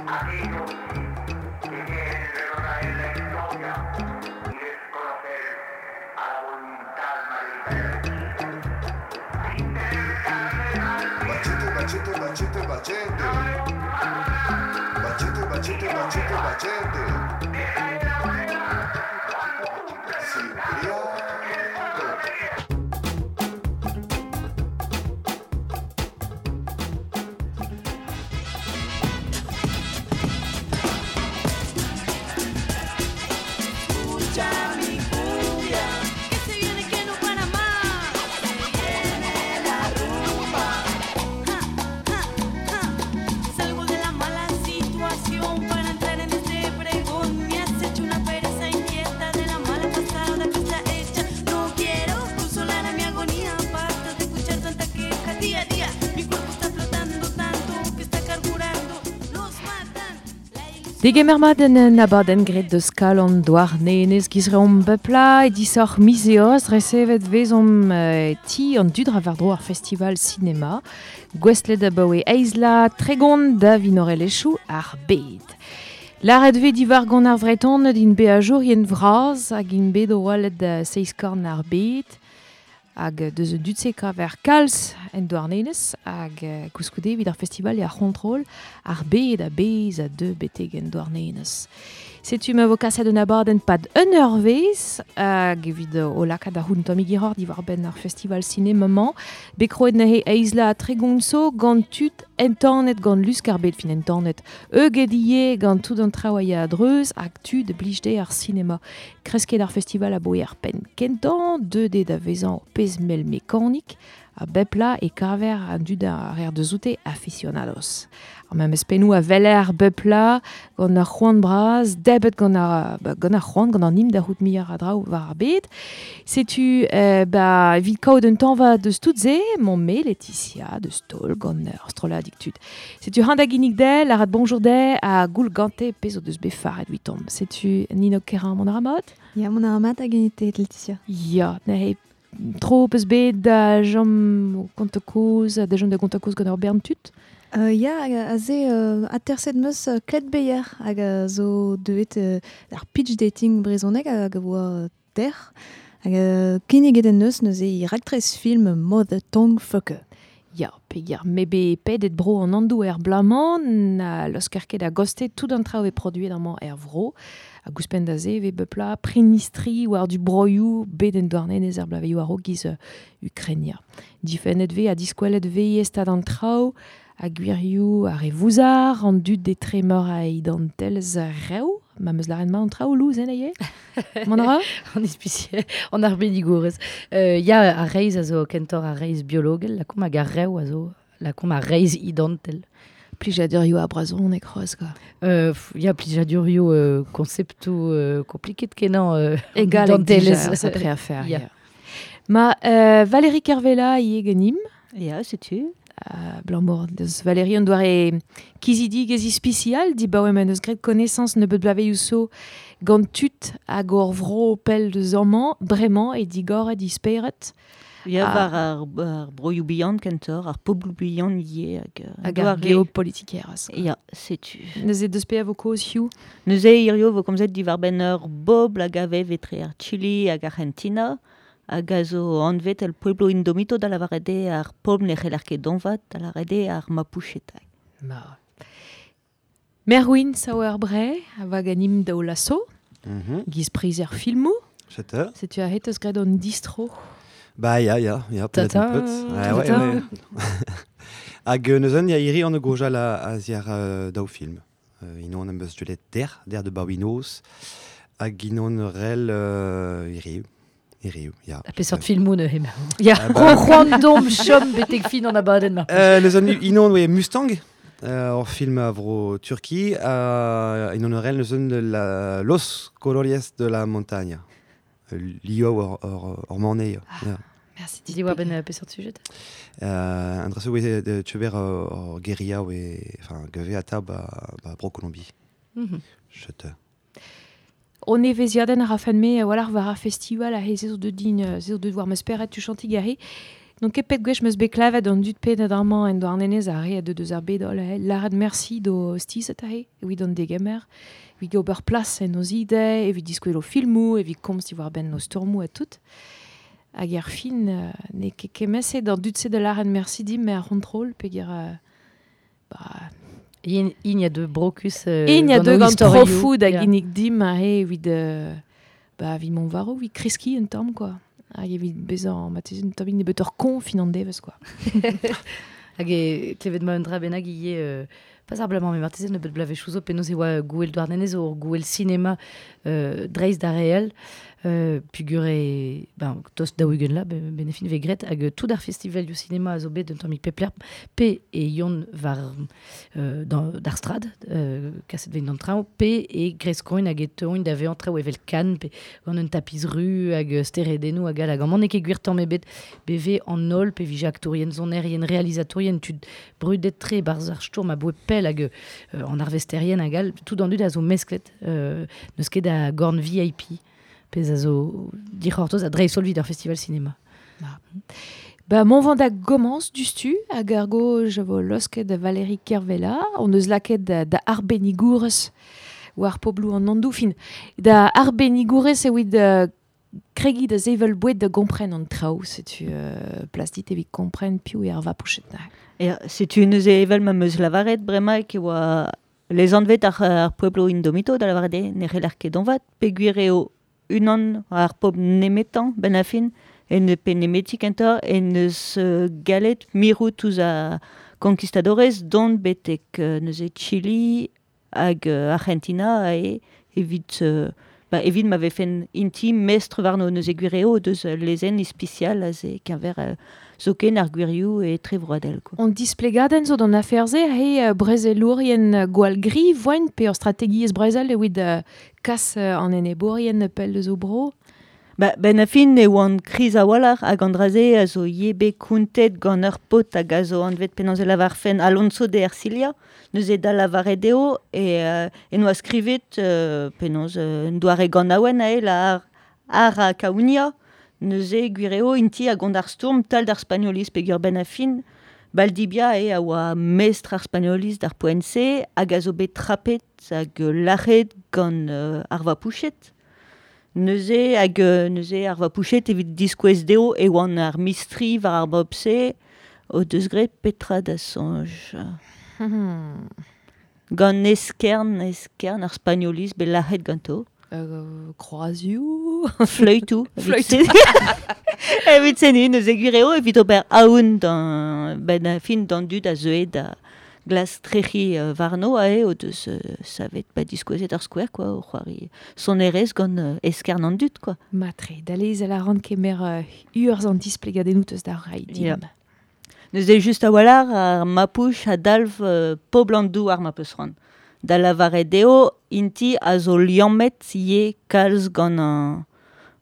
Aquellos que quieren retrotraer la historia y desconocer a la voluntad mayoritaria. Sin tener carne Bachete, bachete, bachete, bachete. Bachete, bachete, bachete, bachete. Cipriano. Escucha mi cumbia, Que se viene que no para más. se viene la rumba. Ja, ja, ja. Salgo de la mala situación para entrar en este pregón. Me has hecho una pereza inquieta de la mala pasada que está hecha. No quiero consolar a mi agonía. Basta de escuchar tanta queja día a día. Mi cuerpo está flotando tanto que está carburando. Los matan. La ilusión. Degemer mat en en abadenn gret deus kalon doar nenez gizreomp bepla e disoc'h mizeoz resevet vezomp ti an dudra war dro ar festival cinema gwestlet abaoe eizla tregont da vinorelechou ar bed. Laret ve diwar gant ar vreton din be a jour yen vraz hag in bet o oalet da seiz korn ar bed hag deus un dudse kaver kalz en douarnenez hag koulskoude evit ar festival e ar c'hontrol ar bed a bez a deux beteg en douarnenez. Setu ma vo kaset un abadenn pad un eur vez hag evit o lakaat ar c'houn Tommy Girard diwar ben ar festival cinéma-mañ bet kroet neuze eizla tregonso gant tud entanet gant lusk ar bed fin entanet euget ie gant tout an traoù a ya a-dreuz hag tud blijde ar cinema. Kresket ar festival a boe ar penn kentañ, deux de da vezañ pezh mel mekanik a bepla e kaver an dud ar er deus oute aficionados. Ar memes pennoù a veler bepla gant ar c'hoant braz, debet gant ar, ba, gant ar c'hoant, gant an im da c'hout miar a draoù war ar bed. Setu ba, evit kaout un tañva deus tout se, mon me Laetitia deus tol gant ur strolladig tud. Setu han da ginnig del, ar bonjour de a goul gante pezh o deus bet faret huitomp. Setu Nino Kerin mon ar Ya, mon ar mat hag genite, Laetitia. Ya, neuze tro peus bet da jom konta koz, da jom da gonta koz gant ur bern tud. Ya, hag aze aterset meus Klet Beyer hag a zo deuet ar pitch dating brezhoneg hag a oa ter. Hag kinniget en neus neuze i raktres film Mother Tongue Fucker. Ya, peger me be pedet bro an andou er blamañ, na losker ket a goste tout an traoù e produet amañ er vro. A gouspenn da ze ve bepla prinistri war du broioù bet en douarnenez er blaveioù a giz Ukrainia. Difennet ve a diskwelet ve estad an traoù, a gwirioù ar e vouzar, an dud de tremor a idantelz rew, ma meus laren ma an traoù louz en aie? Mon ara? An ispicier, an ar benigourez. Ya ar reiz a zo kentor ar reiz biologel, la kom hag ar rew a zo, la kom ar reiz idantel. Plijadurioù a brazon e kroaz, quoi. Ya plijadurioù konceptoù kompliket kenañ Egal idantelez. dija, sapre affaire. Ya. Ya. Ma Valérie Kervella ie genim, Ya, setu. Blanc deus Valérie an doare kizidig ez ispicial, di baoe men eus gret connaissance ne bet blaveioù so gant tud hag ur vro pell deus amañ, bremañ e digor e disperet Ya, Ah. war ar broioù bihan kentor, ar pobloù bihan ie hag... hag ar doare- geopolitikeraz. Ya, setu. Neuze deus pe a vo koz hiu. Neuze hirio vo komzet diwar ben ur bobl hag a vev etre ar Chili hag Argentina, hag a zo anvet el pueblo indomito da lavaret eo ar pobl ne c'heller ket donvat, da lavaret eo ar Mapuchetai. Ma. Merwin Sauerbrey, a va ganim daou lasso, giz priz er filmou. Setu. Setu a het eus gret an distro. Ba, ya, ya, ya, peut-être Tata. un peu. Ah, ouais, Tata. ouais. Hag neuzen, ya iri an gojal a ziar daou film. Inon am beus dulet der de baouinoz, hag inon rel iri, iri, ya. A peseurt filmoù neuze emañ. Ya. Ah, ba- Ro c'hoant dom chom betek fin an abadenn mar. Neuzen, inon, oe, Mustang, ur film a vro Turki, inon rel neuzen la, Los Colores de la Montaña. Lio ur manei. Ya. Merci. Di oa ben peseurt sujet. An drase oe de tcheber ur guerilla oe, enfin, geve ata ba, ba bro Colombie. Chete. On eveziadenn a rafen me war ar war ar festival a he zo de din zo de war meus peret tu chanti gare. Non ket pet gwech meus bet klevet an dud pedet amañ en Douarnenez a re a deus ar bed holl ahe, lâret merci d'o stizet ahe, evit an degemer, evit ober plas en o zide, evit diskouel o filmoù, evit komz diwar benn o stormoù ha tout. Hag ar fin, ne ket kemese d'an dud-se da lâret merci dim, mais ar c'hontrol, peogwir ba... In a de brokus... In a de gant profou da ginnig dim ahe evit... ba, evit mont war evit kreskiñ un tamm, quoi. Hag evit bezañ, ma un tamm nebeut ur kon fin an devezh, quoi. Hag e klevet ma un dra bennak ivez... Pas ar blamañ, mais marteze nebeut blavezhioù zo penaos e oa gouel Douarnenez ur gouel sinema dreist d'ar réel, pugur e, ben, tost daou-ugent la, benefin ve gret, hag tout ar festival du cinéma a zo bet un tammig pepler, pe e yon war d'ar strad, kaset vein d'an traoñ, pe e greskoin hag e teuoin da vezañ traoù evel Cannes, pe gant un tapiz ru hag steredennoù hag all, hag amañ n'eo ket gwir tamm ebet beve an holl, pe vije aktourien, sonerien, realizatourien, tud brudet tre barzh ar stourm a boe pell hag an arvesterien hag all, tout an dud a zo mesklet, n'eus ket a gorn VIP, pezh a zo dic'hortoz a dreist-holl evit ar festival cinéma. Ba, mon vent da gomañs dustu, hag ar goj a vo losket da Valérie Kervella, on eus lakaet da arbennigourez war pobloù an Andoù, fin, da arbennigourez evit kregiñ da sevel boued da gompren an traoù, setu plas dit evit kompren piv eo ar vapouchet na. Ya, setu neuze evel ma meus lavaret bremaik e oa les anvet ar pueblo indomito da lavaret eo ne c'heller ket donvat, peogwir eo unan ar pobl nemetañ ben a fin, en pe nemeti kentoc'h, en eus galet mirout ouzh ar conquistadores dont betek neuze Chili hag Argentina e evit ba, evit ma vefen inti mestr warno neuze gwir eo deus lezenn ispisial aze keñver zoken ar gwirioù e trevroadel, quoi. On displegadenn zo d'an afer-se he brezelourien gwall gri voent pe ur strategiezh brezel evit kas an enebourien pell eus o bro. Ba, ben a fin e oan kriz a-walc'h hag an dra-se a zo ivez bet kontet gant ur paotr hag a zo anvet penaos e lavarfen Alonso de Ercilia, neuze da lavaret eo e en oa skrivet penaos un doare ganaouenn ae la ar a Kaounia, neuze gwir eo inti hag gant ar stourm tal d'ar spagnoliz peogwir ben a fin Valdivia e a oa mestr ar spagnoliz d'ar poent-se hag a zo bet trapet hag lâret gant ar vapouchet. Neuze hag neuze ar vapouchet evit diskouez dezho e oan ar mistri war ar bob-se o deus graet petra da soñj. Gant eskern ar spagnoliz bet lâret ganto. Kroazioù. Fleütoù. Fleütoù. Evit se neuze gwir eo evit ober aon d'an ben a fin d'an dud a zeue da glas trec'hi warno ae o deus savet ba diskouezet ar skouer, quoi, o c'hoari sonerezh gant eskern an dud, quoi. Matre, da lezel a ran kemer urzh an displegadennoù teus da reiñ din. Ya. Neuze just a-walc'h ar Mapuche a dalv pobl an douar ma peus c'hoant. Da lavaret eo inti a zo liammet ivez kalz gant an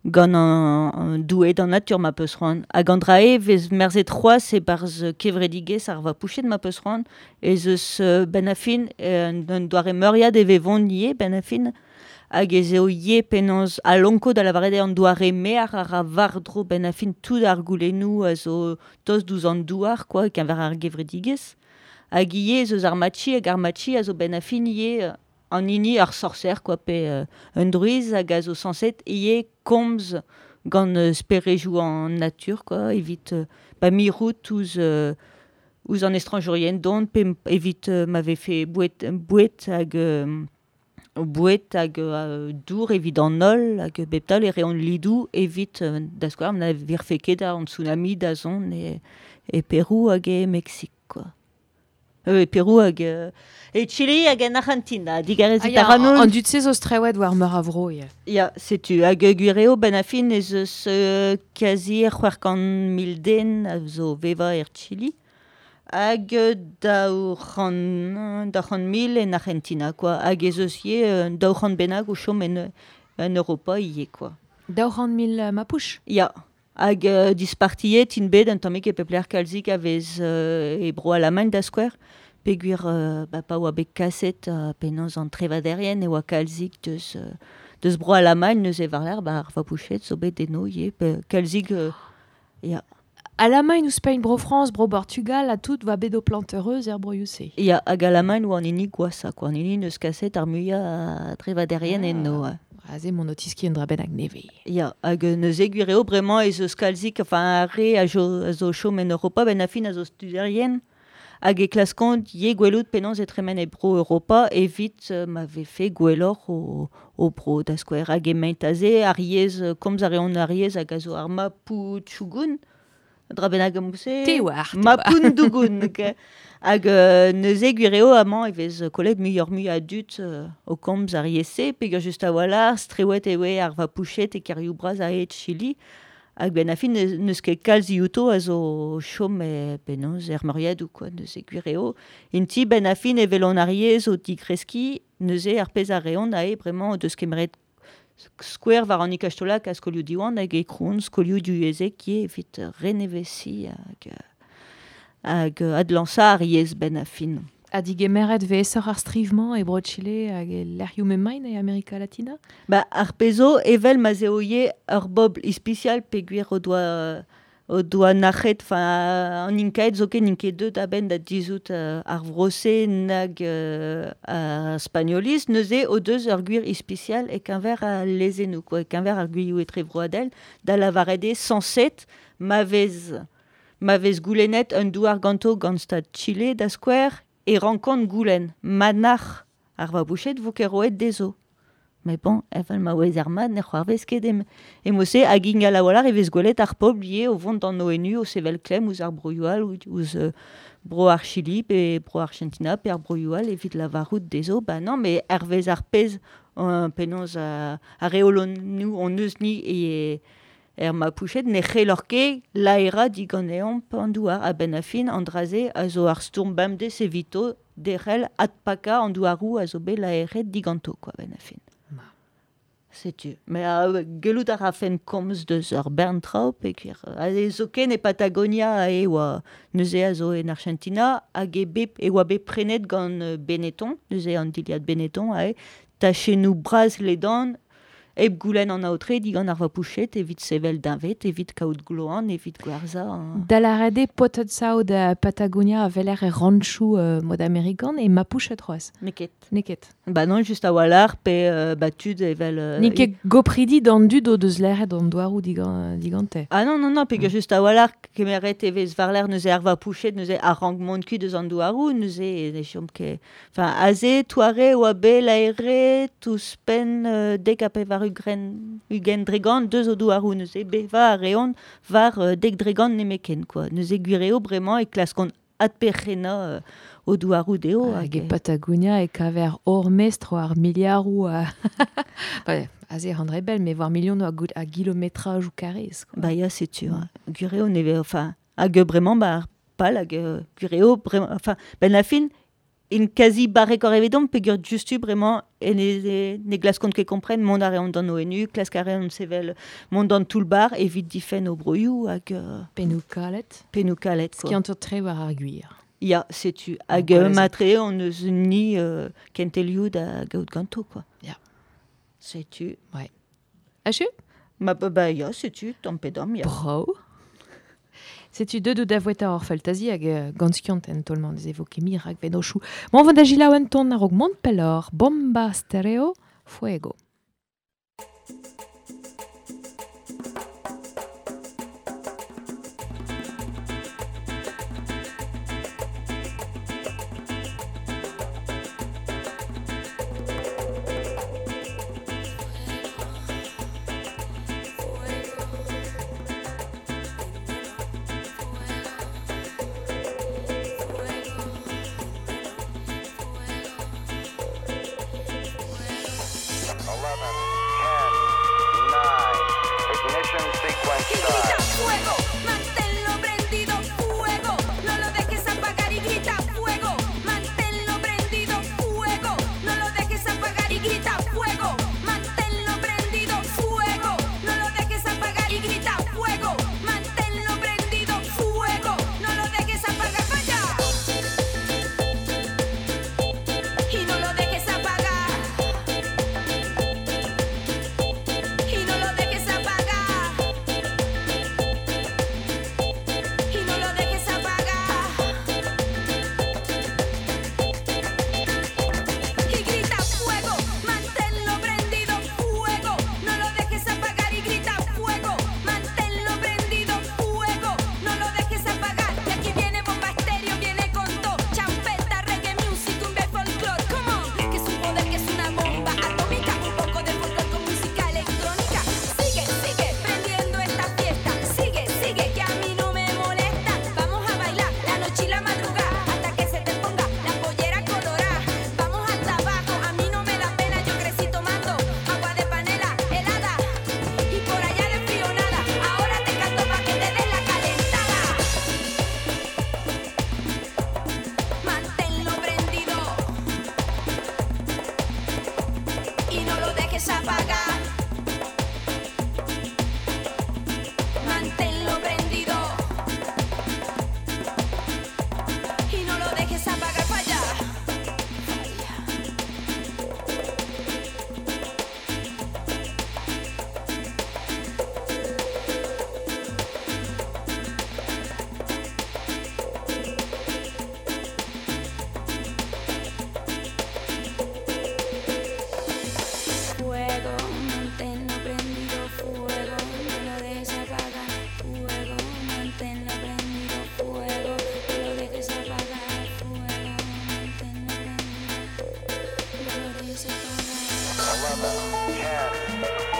gant an doue d'an natur ma peus c'hoant. Hag an dra eo vez merzet c'hoazh e-barzh kevredigezh ar vapouchet ma peus c'hoant, ez eus ben a fin un doare meuriad e vevont ivez ben a fin, hag ez eo ivez penaos alonko da lavaret eo an doare mear ar a war-dro ben a fin tout ar goulennoù a zo tost douzh an douar, quoi, keñver ar gevredigezh. Hag ivez ez eus ar machi hag ar machi a zo ben a fin ivez an hini ar sorcer, quoi, pe un druiz hag a zo sañset ivez komz gant sperejoù an natur, quoi, evit ba mirout ouzh ouzh an estrañjourien dont, pe evit ma vefe boued hag boued hag dour evit an holl hag bep taol e reont lidoù evit da skouer na virfe ket an tsunami da zont e Perou hag e Meksik, quoi. E Perou hag e Chili hag en Argentina, digarezit Ah, ya, ar an dud-se zo strewet war meur a vro, ya. Ya, setu, hag gwir eo ben a fin ez eus kazi 600 000 den a zo vevañ er Chili, hag 200 000 en Argentina, quoi. Hag ez eus ivez 200 bennak o chom en Europa ivez, quoi. 200 000 Mapuche? Ya. Hag dispartiet int bet un tammig e pep lec'h kalzik a vez e bro Alamagn da skouer, peogwir ba, pa oa bet kaset penaos an trevaderien e oa kalzik deus bro Alamagn neuze war-lerc'h ba ar vapouchet zo bet eno ivez, pe kalzik ya. Alamagn ouzhpenn bro Frañs, bro Portugal ha tout va bet o plantereuz er broioù-se. Ya, hag Alamagn oa an hini gwashañ, quoi. An hini neus kaset ar muiañ a drevaderien enno. Aze mon otiski un dra bennak nevez. Ya, hag neuze gwir eo bremañ ez eus kalzik, enfin ar re a zo chom en Europa, ben a fin a zo studerien, hag e klaskont ye gwelout penaos e tremen e bro Europa evit ma vefe gwelloc'h o bro da skouer. Hag emaint aze ar yezh, komz a reont ar yezh hag a zo ar Maputchugun, dra bennak am-se. Te oar, te oar. Mapundungun. Hag neuze gwir eo amañ e vez kollet muioc'h-mui a dud o komz ar yezh-se, peogwir just a-walc'h, strewet eo ar Vapouchet e kêrioù bras a hed Chili. Hag ben a fin n'eus ket kalz diouto a zo chom e penaos er meuriadoù, quoi, neuze gwir eo. Inti ben a fin evel an ar yezh o tigreskiñ, neuze ar pezh a reont ae bremañ o deus kemeret skouer war an ikastolak a skolioù Diwan hag e krouont skolioù divyezhek ivez evit renevesiñ hag adlañsañ ar yezh ben a fin. Ha digemeret vez aesoc'h ar striv-mañ e Bro-Chile hag e lec'hioù m'emaint e Amerika Latina? Ba, ar pezh zo, evel ma 'z eo ivez ur bobl ispisial peogwir o doa nac'het, enfin, an Inkaed zoken n'int ket deuet a-benn da dizhout ar vro-se nag ar Spagnoliz, neuze o deus ur gwir ispisial e-keñver al lezennoù, quoi, e-keñver ar gwirioù etrevroadel, da lavaret eo sañset ma vez goulennet un douar ganto gant Stad Chile da skouer, e rankont goulenn ma nac'h ar Vabouched vo ket roet dezho. Mais bon, evel ma ouez ar mat ne c'hoarvez ket emo-se hag ingal a-walc'h e vez gwelet ar pobl ivez o vont d'an ONU o sevel klemm ouzh ar broioù all, ouzh bro ar Chili pe bro Argentina pe ar broioù all evit lavarout dezho, ba non, mais hervez ar pezh penaos ar reolennoù hon eus ni e er Mapouched ne c'hellor ket laerañ diganeomp an douar. A-benn a fin, an dra-se a zo ar stourm bemdez evito derc'hel adpakañ an douaroù a zo bet laeret diganto, quoi, a-benn a fin. Setu. Mais gellout a rafen komz deus ur bern traoù peogwir aze zoken e Patagonia e oa neuze a zo en Argentina hag e bet e oa bet prenet gant Benetton, neuze an dilhad Benetton ae tachennoù bras ledan hep goulenn an aotre digant ar Vapouched evit sevel deñved, evit kaout gloan, evit gwerzhañ. Da lâret eo paotred saout da Patagonia a weler e ranchoù mod amerikan e Mapouched c'hoazh. N'eo ket. N'eo ket. Ba non, just a-walc'h pe ba tud evel N'eo ket gopridi d'an dud o deus laeret an douaroù digante. Ah non, non, non, peogwir just a-walc'h kemeret e vez war-lerc'h neuze ar Vapouched, neuze ar rank mont kuit eus an douaroù, neuze ne chom ket. Enfin, aze, toare oa bet laeret ouzhpenn dek ha pevar ugent dregant deus o douaroù, neuze bevañ a reont war dek dregant nemeken, quoi. Neuze gwir eo bremañ e klaskont adperc'hennañ o douaroù dezho. Hag e Patagonia e kaver hor mestr war miliaroù Enfin, aze an rebel, mais war milionoù a gilometrajoù karrez, quoi. Ba ya, setu, hein. Gwir eo neve, enfin, hag bremañ, ba, ar pal, hag gwir eo bremañ, enfin, ben la fin, in quasi barrek hor evidom, peogwir justu bremañ e ne glaskont ket kompren mont a reont d'an ONU, klask a reont sevel mont d'an toull-bar evit difenn o broioù hag Pennoù kalet. Pennoù kalet, quoi. Skiant tre war ar gwir. Ya, setu. Hag, Bon, voilà, matre on eus ni kentelioù da gaout ganto, quoi. Ya. Setu. Ouais. Achu? Ma, ba, ba, ya, setu, tamm pe damm, ya. Bravo. Setu deut out da voueta hor faltazi hag gant skiant en tolman ez evo ket mir hag venochoù. Mont vont da gilaou en ton a-raok mont pelloc'h, Bomba Stereo, Fuego. Y no lo dejes apagar.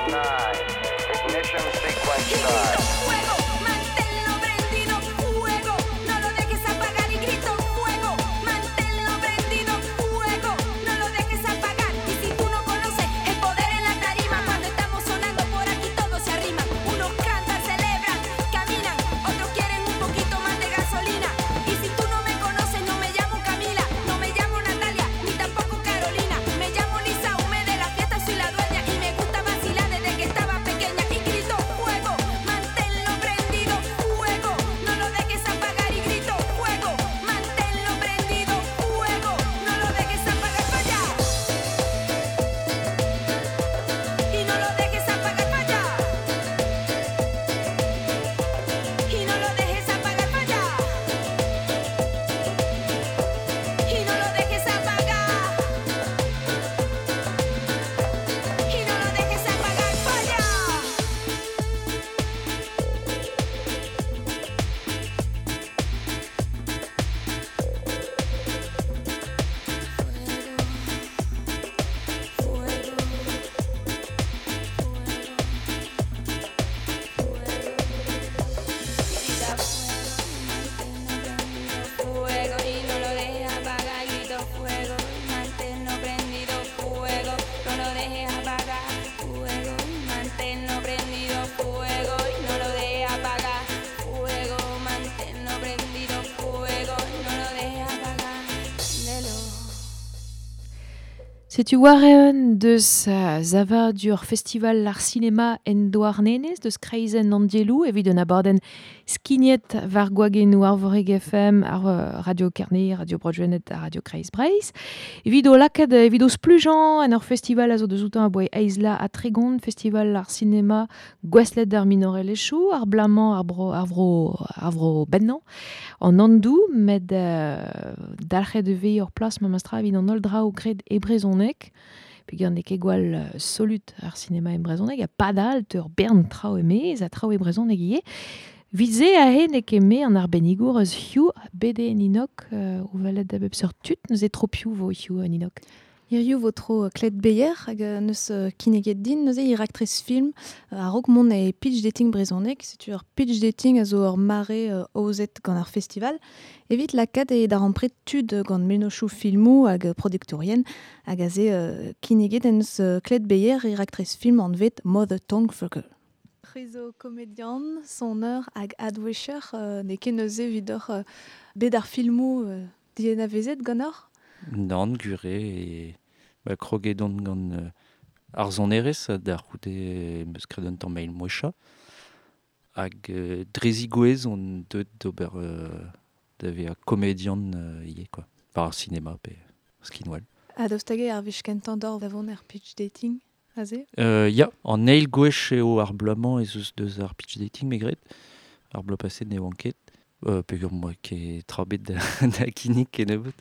9, ignition sequence start. Fuego, manténlo prendido, fuego, no lo dejes apagar y grito fuego, manténlo prendido, fuego, no lo dejes apagar. Y si tú no conoces el poder en la tarima, cuando estamos sonando por aquí todos se arriman. Unos cantan, celebran, caminan, otros quieren un poquito más de gasolina. Y si tú no me conoces, no me llamo Camila, no me llamo Natalia, ni tampoco Carolina. Me llamo Lisa Hume, de la fiesta soy la dueña y me gusta vacilar desde que estaba pequeña. Y grito fuego, manténlo prendido, fuego, no lo dejes apagar y grito fuego, manténlo prendido, fuego, no lo dejes apagar para allá. Y no lo dejes apagar para allá. Y no lo dejes apagar para allá. Y no lo dejes apagar. Y no lo dejes apagar para allá. Fuego y no lo dejes apagar, grito fuego, manténlo prendido, fuego, no lo dejes apagar, fuego, manténlo prendido, fuego y no lo dejes apagar, fuego, manténlo prendido, fuego, no lo dejes apagar, préndelo. Setu war eun deus zavadur festival ar cinema en Douarnenez, deus kreizenn an dielou, evit un abadenn skignet war gwagennoù ar Voreg FM, ar Radio Kerne, Radio Broadwenet ha Radio Kreiz Breizh. Evit o lakaat, evit o splujañ en ur festival a zo deus outañ a boe eizla ha tregont, festival ar cinema gouestlet d'ar minorelezhioù, ar blamañ ar bro, ar vro, ar vro bennañ, an andou, met dalc'het e vez ur plas memestra evit an holl draoù graet e brezhoneg, peogwir n'eo ket gwall solut ar sinema e brezhoneg, ha padal ur bern traoù e-maez ha traoù e brezhoneg ivez. Evit se aze n'eo ket me an arbennigour eus hiziv bet eo Ninok, o welet da bep seurt tud, neuze tro piv vo hiziv, Ninok. Hiziv vo tro Klet Beyer hag neus kinniget din, neuze e raktres film a-raok mont e pitch dating brezhoneg, setu ur pitch dating a zo ur mare aozet gant ar festival, evit lakaat e darempred tud gant mennozhioù filmoù hag produktourien, hag aze kinniget en neus Klet Beyer e raktres film anvet Mother Tongue Fucker. C'hwi zo komedian, soneur hag adwecher, n'eo ket neuze evit oc'h bet ar filmoù dianavezet ganeoc'h? Nann, gwir eo, e ba, kroget on gant ar sonerezh da c'houde em eus graet un tamm eil mouechañ. Hag dre zigouez on deuet d'ober da vezañ komedian ivez, quoi. War ar sinema pe skinwel. Ha daoust hag eo ar wech kentañ d'or da vont er pitch dating, aze? Ya, an eil gwech eo ar bloaz-mañ ez eus deus ar pitch dating, me gred. Ar bloaz paset ne oan ket. Peogwir 'moa ket tra bet da kinnig kennebeut.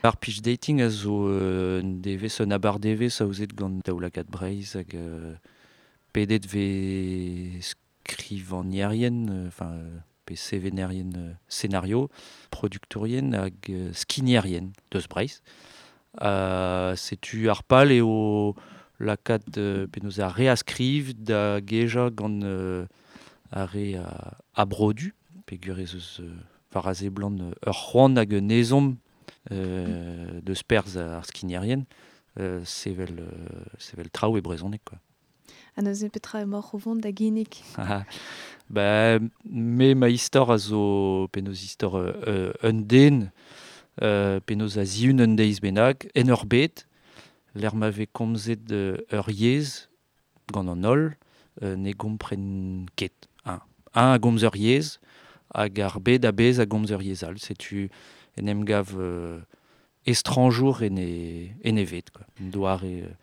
Ar pitch dating a zo un devezh, un abardevezh aozet gant Daoulagad Breizh hag pedet vez skrivagnerien, enfin, pe sevenerien scénario, produktourien hag skignerien deus Breizh. Setu ar pal eo lakaat penaos ar re a skriv da gejañ gant ar re a brodu, peogwir ez eus war a seblant ur c'hoant hag un ezhomm deus perzh ar skignerien, sevel traoù e brezhoneg, quoi. Ha neuze petra emaoc'h o vont da ginnig? Ba, me ma istor a zo penaos istor un den, penaos a zihun un deiz bennak, en ur bed, lec'h ma vez komzet ur yezh gant an holl, ne gompren ket. Un a gomz ur yezh, hag ar bed a-bezh a gomz ur yezh all. Setu en em gav estrañjour en e ved, quoi. Un doare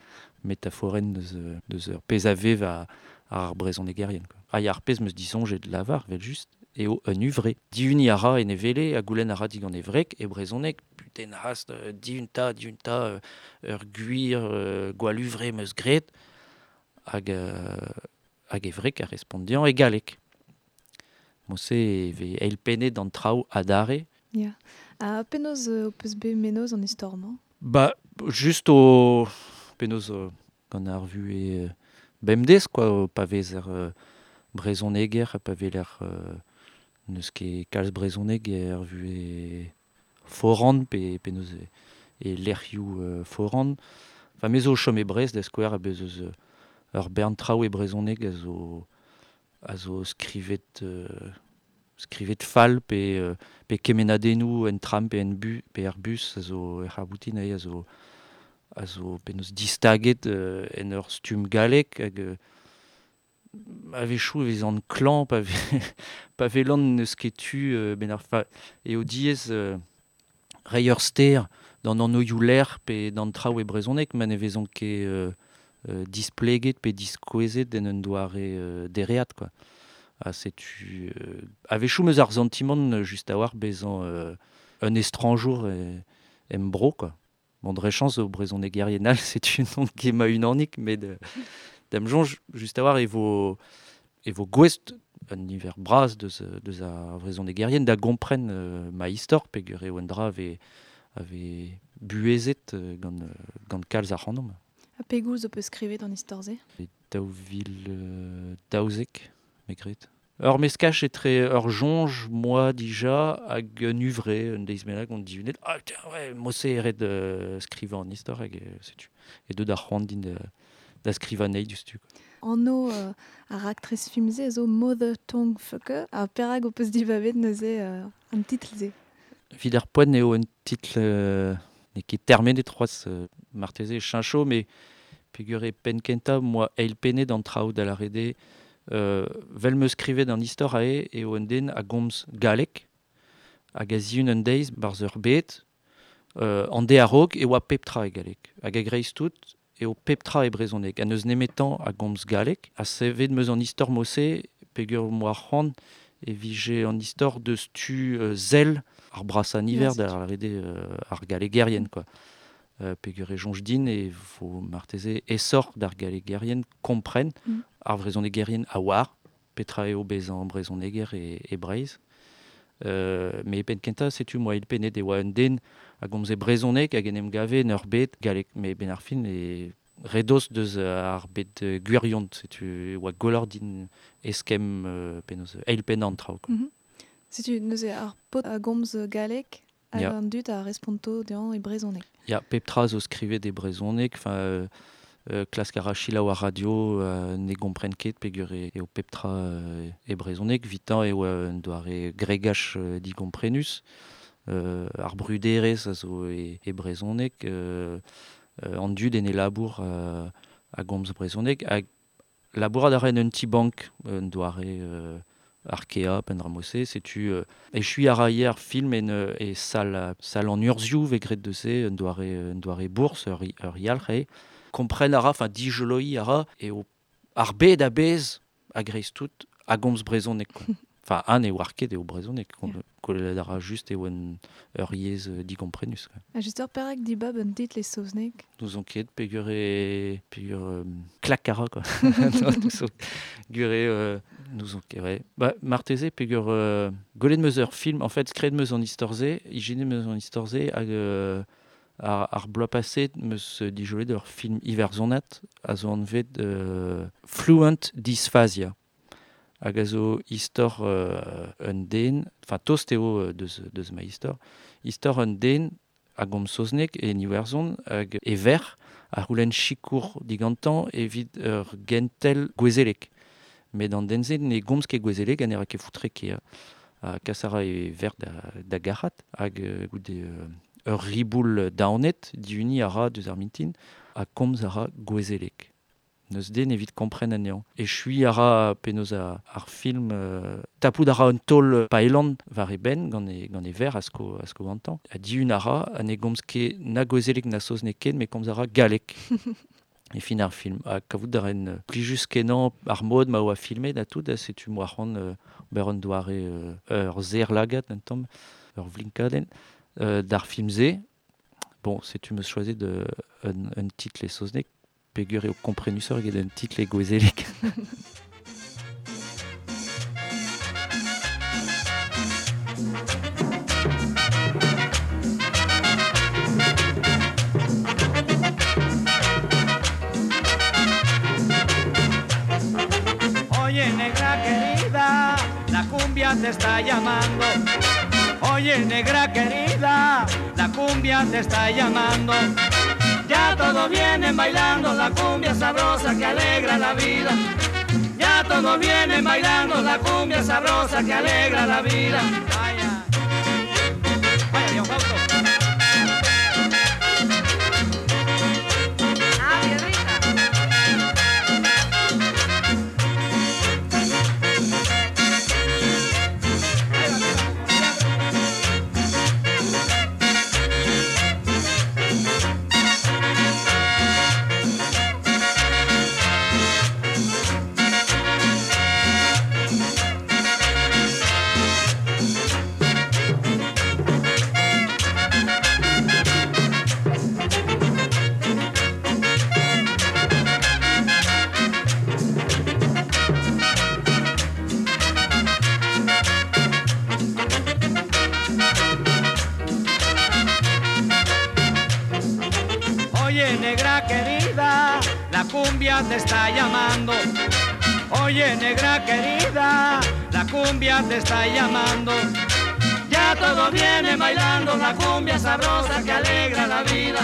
metaforenn deus ur pezh a vev ar brezhonegerien, quoi. Ha ya, ar pezh 'm eus disoñjet lavar, evel just, eo un uvre. Dihuniñ a ra en e wele, ha goulenn a ra digant e wreg, e brezhoneg, putain hast, dihun ta, dihun ta, ur gwir gwall uvre 'm eus graet, hag e wreg a respont dezhañ e galleg. Mod-se e vez eilpennet an traoù adarre. Ya. Ha penaos ho peus bet mennozh an istor-mañ? Ba, just o penaos gant ar vuhez bemdez, quoi, pa vezer brezoneger, pa veler neus ket kalz brezoneg er vue foran, pe neus e lec'hioù foran. Enfin, me zo chom e Brest, da skouer, a bez eus ur bern traoù e brezhoneg a zo skrivet fall pe kemenadennoù en tram pe en bu pe er bus a zo er c'harboutin a zo penaos distaget en ur stumm gallek hag a-wechoù e vez an klañv pa velan n'eus ket tu ben ar fa eo diaes reiñ ur ster d'an anvioù lec'h pe d'an traoù e brezhoneg ma ne vezont ket displeget pe diskouezet en un doare dereat quoi. Ha setu a-wechoù meus ar santimant just a-walc'h bezañ un estrañjour em bro quoi. Bon, dre chañs o brezhonegerien all, setu non ket ma unanik, met da'm soñj just a-walc'h e vo gouest un niver bras deus ar brezhonegerien da gompren ma istor peogwir eo un dra a vez buhezet gant kalz ac'hanomp. Ha pegoulz ho peus skrivet an istor-se? E 2012, me gred. Ur meskaj etre ur soñj, moi dija, hag un uvre, un deiz bennak on dihunet. Ah, tiens, ouais, mo-se eret skrivañ an istor hag setu. E deut ar c'hoant din da skrivañ anezhi diouzhtu. Anv ar raktres film-se a zo Mother Tongue Fucker, ha perak ho peus dibabet neuze an titl-se? Evit ar poent eo un titl n'eo ket termenet c'hoazh marteze cheñcho, met peogwir e penn kentañ moa eilpennet an traoù da lâret eo vel meus skrivet an istor ae eo un den a gomz galleg hag a zihun un deiz barzh ur bed an de a-raok e oa pep tra e galleg hag a-greiz tout eo pep tra e brezhoneg ha n'eus nemetañ a gomz galleg ha sevet meus an istor mo-se peogwir moa c'hoant e vije an istor deus tu sell ar brasañ niver da lâret eo ar gallegerien quoi. Peogwir e soñj din e vo marteze aesoc'h d'ar gallegerien kompren ar vrezhonegerien a oar petra eo bezañ brezhoneger e Breizh. Met e penn kentañ setu moa eilpennet e oa un den a gomze brezhoneg hag en em gave en ur bed gallek met ben ar fin e redoz deus ar bed gwirion setu e oa gwelloc'h din eskemm penaos eilpennañ an traoù quoi. Setu neuze ar paotr a gomz galleg hag an dud a responto dezhañ e brezhoneg. Ya, pep tra zo skrivet e brezhoneg, enfin klask a ra selaou ar radio ne gompren ket peogwir eo pep tra e brezhoneg, 'vitañ eo un doare gregach digomprenus, ar bruderezh a zo e brezhoneg, an dud en e labour a gomz brezhoneg, hag labourat a ra en un ti-bank un doare Arkea, Penramose, setu echuiñ a ra ivez ar film en e sal an urzhioù vez graet deus-se, un doare bourzh, ur yalc'h eo. Kompren a ra, enfin dijoloiñ a ra, eo ar bed a-bezh a-greiz tout a gomz brezhoneg quoi. Enfin, an eo ar ket eo brezhoneg, kollet a ra just eo ur yezh digomprenus quoi. Ha just ur perak dibab un titl e saozneg? N'ouzon ket peogwir klak a ra quoi. Gure n'ouzon ket, ouais. Ba, marteze peogwir gwelet meus ur film, en fait, skrivet meus an istor-se, ijinet meus an istor-se hag ar bloaz paset meus dijolet ur film iwerzhonat a zo anvet Fluent Dysphasia. Hag a zo istor un den, enfin tost eo deus ma istor, istor un den a gomz saozneg e Iwerzhon hag e verc'h a c'houlenn sikour digantañ evit ur gentel gouezelek. Met an den-se ne gomz ket gouezelek ha ne ra ket foutre ket. Ha kas a ra e verc'h da garc'hat hag goude ur riboul daonet dihuniñ a ra deus ar mintin ha komz a ra gouezelek. N'eus den evit kompren anezhañ. Echuiñ a ra penaos ar film tapout a ra un taol paelan war e benn gant e verc'h a sko gantañ. Ha dihun a ra ha ne gomz ket na gouezelek na saozneg ken, met komz a ra galleg. E fin ar film. Ha kavout a ren plijus kenañ ar mod ma oa filmet ha tout, ha setu moa c'hoant ober un doare ur serr-lagad un tamm, ur vlinkadenn d'ar film-se. Bon, setu meus choazet un titl e saozneg, peogwir eo komprenusoc'h eget un titl e gouezelek. te está llamando. Oye, negra querida, la cumbia te está llamando. Ya todos vienen bailando la cumbia sabrosa que alegra la vida. Ya todos vienen bailando la cumbia sabrosa que alegra la vida. Vaya, vaya, Dios Fausto. Oye, negra querida, la cumbia te está llamando. Oye, negra querida, la cumbia te está llamando. Ya todos vienen bailando la cumbia sabrosa que alegra la vida.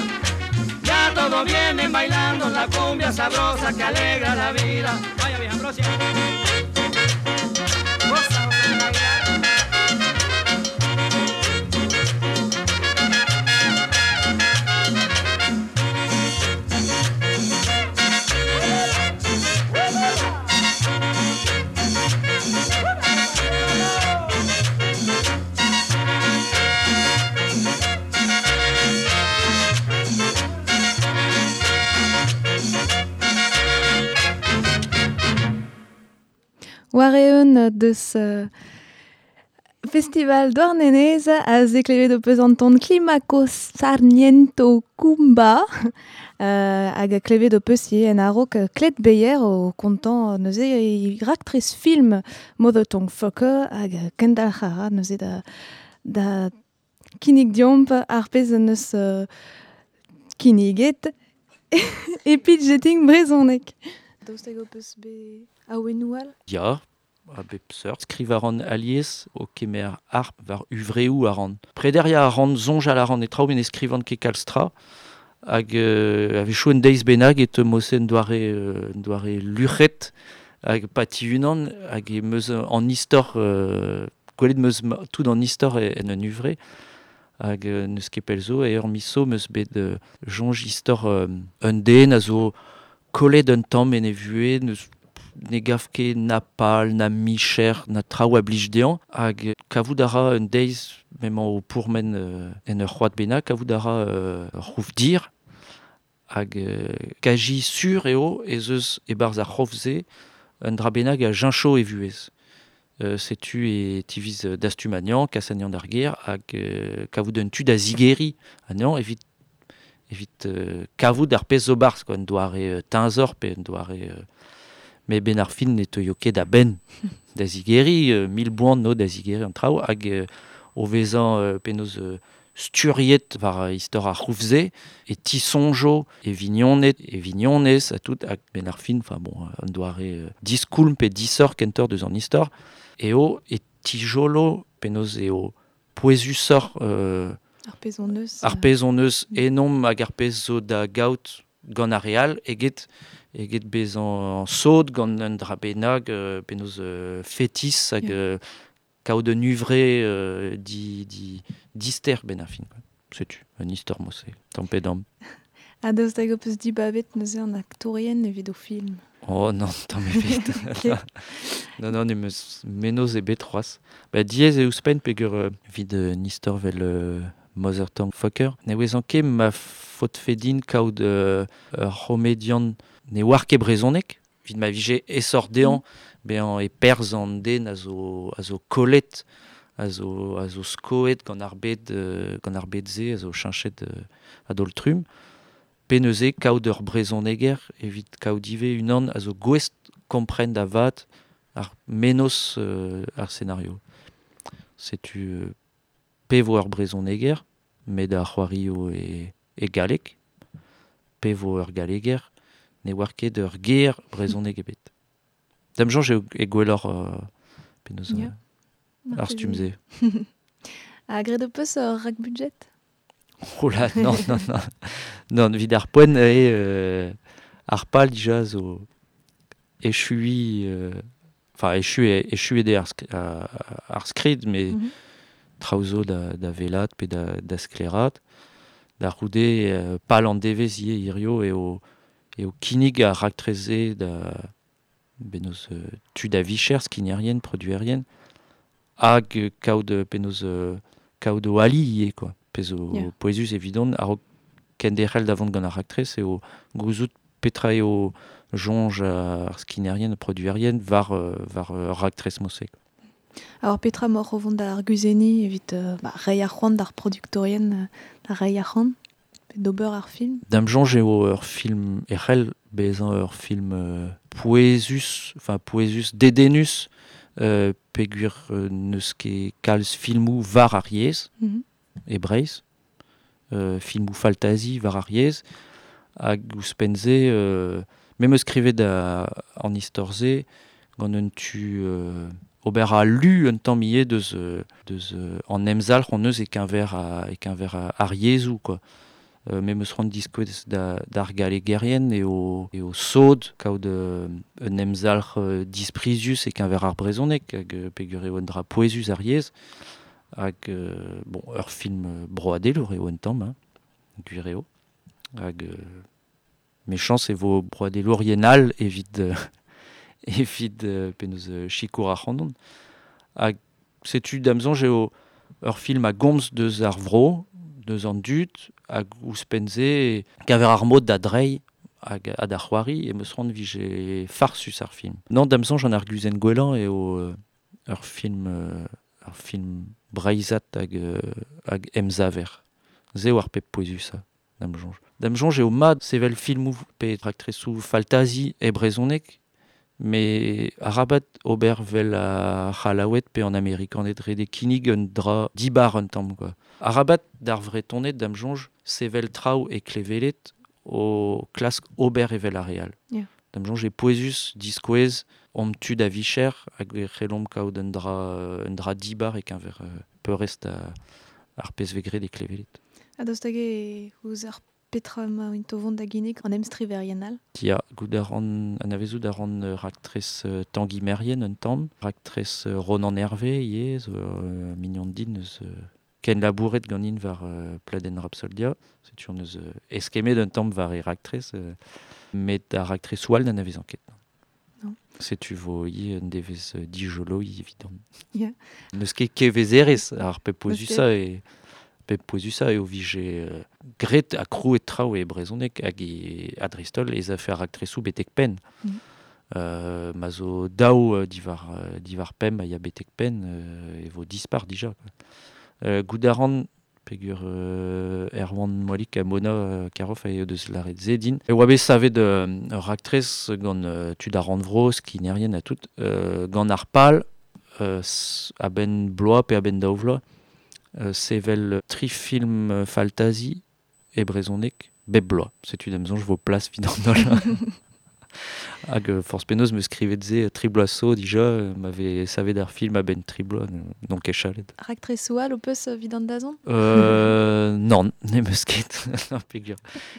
Ya todos vienen bailando la cumbia sabrosa que alegra la vida. Vaya, vieja Ambrosia. Goza, bailar. War eeun deus festival Douarnenez a zeklevet o peus an ton Climaco Sarmiento Kumba hag a klevet o peus ivez en a-raok Klet Beyer o kontañ neuze e raktres film Mother Tongue Fucker hag kendalc'h a ra neuze da kinnig diomp ar pezh neus kinniget e pitch dating brezhoneg. Daoust hag o peus bet awennoù all? Ya, a bep seurt. Skriv a ran alies o kemer harp war uvreoù a ran. Prederia a ran, soñjal a ran e traoù, met ne skrivan ket kalz tra. Hag a-wechoù un deiz bennak e teu mosen doare luc'hed hag pati unan hag e meus an istor, gwelet meus tout an istor en un uvre. Hag neus ket pell zo, e ur miz zo meus bet soñj istor un den a zo kollet un tamm en e vuhez, neus ne gav ket na pal, na micher, na traoù a blij dezhañ, hag kavout a ra un deiz, m'emañ o pourmen en ur c'hoad bennak, kavout a ra ur c'houf dir, hag kaji sur eo ez eus e-barzh ar c'hof-se un dra bennak a jincho e vuhez. Setu e tiviz dastum anezhañ, kas anezhañ d'ar gêr, hag kavout un tu da zigeriñ anezhañ evit kavout ar pezh zo barzh, quoi, un doare teñzor pe un doare... mais ben ar fin ne teuio ket a benn da zigeriñ, mil boan no da zigeriñ an traoù, hag o vezañ penaos sturiet war istor ar c'houf-se, e tisonjo, e vignoned, e vignonez, ha tout, hag ben ar fin, enfin bon, un doare diskoulm pe disoc'h kentoc'h deus an istor, eo e tijolo penaos eo pouezusoc'h ar pezh hon eus. Ar pezh hon eus enomp hag ar pezh zo da gaout gant ar re all eget bezañ sod gant un dra bennak penaos fetis hag kaout un uvre dister ben ar fin. Setu, un istor mo-se, tamm pe damm. Ha daoust hag ho peus dibabet neuze an aktourien evit o film? Oh non, tamm ebet. Non, non, ne meus menoz ebet c'hoazh. Ba diaes eo ouzhpenn peogwir evit un istor vel Mother Tongue Fucker. Ne ouezan ket ma faotfe din kaout ur c'homedian ne oar ket brezhoneg, evit ma vije esor dezhañ, bezañ e perzh an den a zo kollet, a zo skoet gant ar bed-se, a zo cheñchet a-daol-trumm. Pe neuze kaout ur brezhoneger evit kaout ivez unan a zo gouest kompren da vat ar menoz ar scenario. Setu pe vo ur brezhoneger, met ar c'hoario e galleg, pe vo ur galleger, ne oar ket ur ger brezhoneg ebet. Da'm soñj eo e gwelloc'h penaos. Yeah. Ar stumm-se. Ha graet ho peus ur rak-budget? Oh là, non, non, non. Non, evit ar poent eo ar pal dija zo echuiñ, enfin echuet eo ar skrid, met traoù zo da welat pe da sklaeraat. Da c'houde pal an devezh ivez hirio eo kinnig ar raktres-se da penaos tud a vicher, skignerien, produerien, hag kaout penaos kaout o ali ivez, quoi. Pezh zo pouezus evidon, a-raok kenderc'hel da vont gant ar raktres eo gouzout petra eo soñj ar skignerien, produerien war war raktres mod-se. Alors petra emaoc'h o vont da arguzenniñ evit reiñ ar c'hoant d'ar produktorien da reiñ ar c'hoant pe d'ober ar film? Da'm soñj eo ur film e c'hell bezañ ur film pouezus, enfin pouezus dedennus, peogwir n'eus ket kalz filmoù war ar yezh e Breizh, filmoù faltazi war ar yezh, hag ouzhpenn-se, me 'm eus skrivet an istor-se gant un tu ober al lu un tamm ivez deus an emzalc'h hon eus e-keñver ar yezhoù, quoi. Me 'm eus c'hoant diskouez d'ar gallegerien eo sod kaout un emzalc'h disprizius e-keñver ar brezhoneg hag peogwir eo un dra pouezus ar yezh hag bon, ur film broadelour eo un tamm, hein, gwir eo. Hag mechañs e vo broadelourien all evit penaos sikour ac'hanon. Hag setu da'm soñj eo ur film a gomz deus ar vro, deus an dud, hag ouzhpenn-se keñver ar mod da dreiñ hag da c'hoari, em eus c'hoant vije farsus ar film. Non, da'm soñj an arguzenn gwellañ eo ur film breizhat hag emsaver. Se eo ar pep pouezusañ, da'm soñj. Da'm soñj eo mat sevel filmoù pe raktresoù faltazi e brezhoneg, met arabat ober vel ar C'hallaoued pe an Amerikaned ret eo kinnig un dra dibar un tamm, quoi. Arabat d'ar Vretoned da'm soñj sevel traoù e klevelet o klask ober evel ar re all. Da'm soñj eo pouezus diskouez omp tud a vicher hag e c'hellomp kaout un dra dibar e-keñver peurrest ar pezh vez graet e klevelet. Ha daoust hag eo ouzh ar petra emaint o vont da ginnig an emstriverien all? Ya, goût a ran, anavezout a ran raktres Tangi Merien un tamm, raktres Ronan Hervé ivez, zo mignon din eus ken labouret ganin war pladenn Rapsoldia, setu hon eus eskemmet un tamm war e raktres, met ar raktresoù all n'anavezan ket. Non. Setu vo ivez un devezh dijoloiñ evidon. Yeah. N'eus ket kevezerezh ar pep pouezusañ e pep pouezusañ eo vije graet ha krouet traoù e brezhoneg hag e a-dreist-holl ez afe ar raktresoù betek penn. Ma zo daou diwar pemp a ya betek penn e vo dispar dija, quoi. Goût a ran peogwir Erwan Moalik ha Mona Karoff a eo deus lâret se din. E oa bet savet ur raktres gant tud ar rannvro, skinerien ha tout, gant ar pal a-benn bloaz pe a-benn daou vloaz, sevel tri film faltazi e brezhoneg bep bloaz. Setu da'm soñj vo plas evit an holl. Hag forzh penaos 'm eus skrivet se tri bloaz zo dija, m'avait savet ar film a-benn tri bloaz, n'on ket chalet. Raktresoù all ho peus evit an dazont? Non, n'em eus ket. Non, peogwir.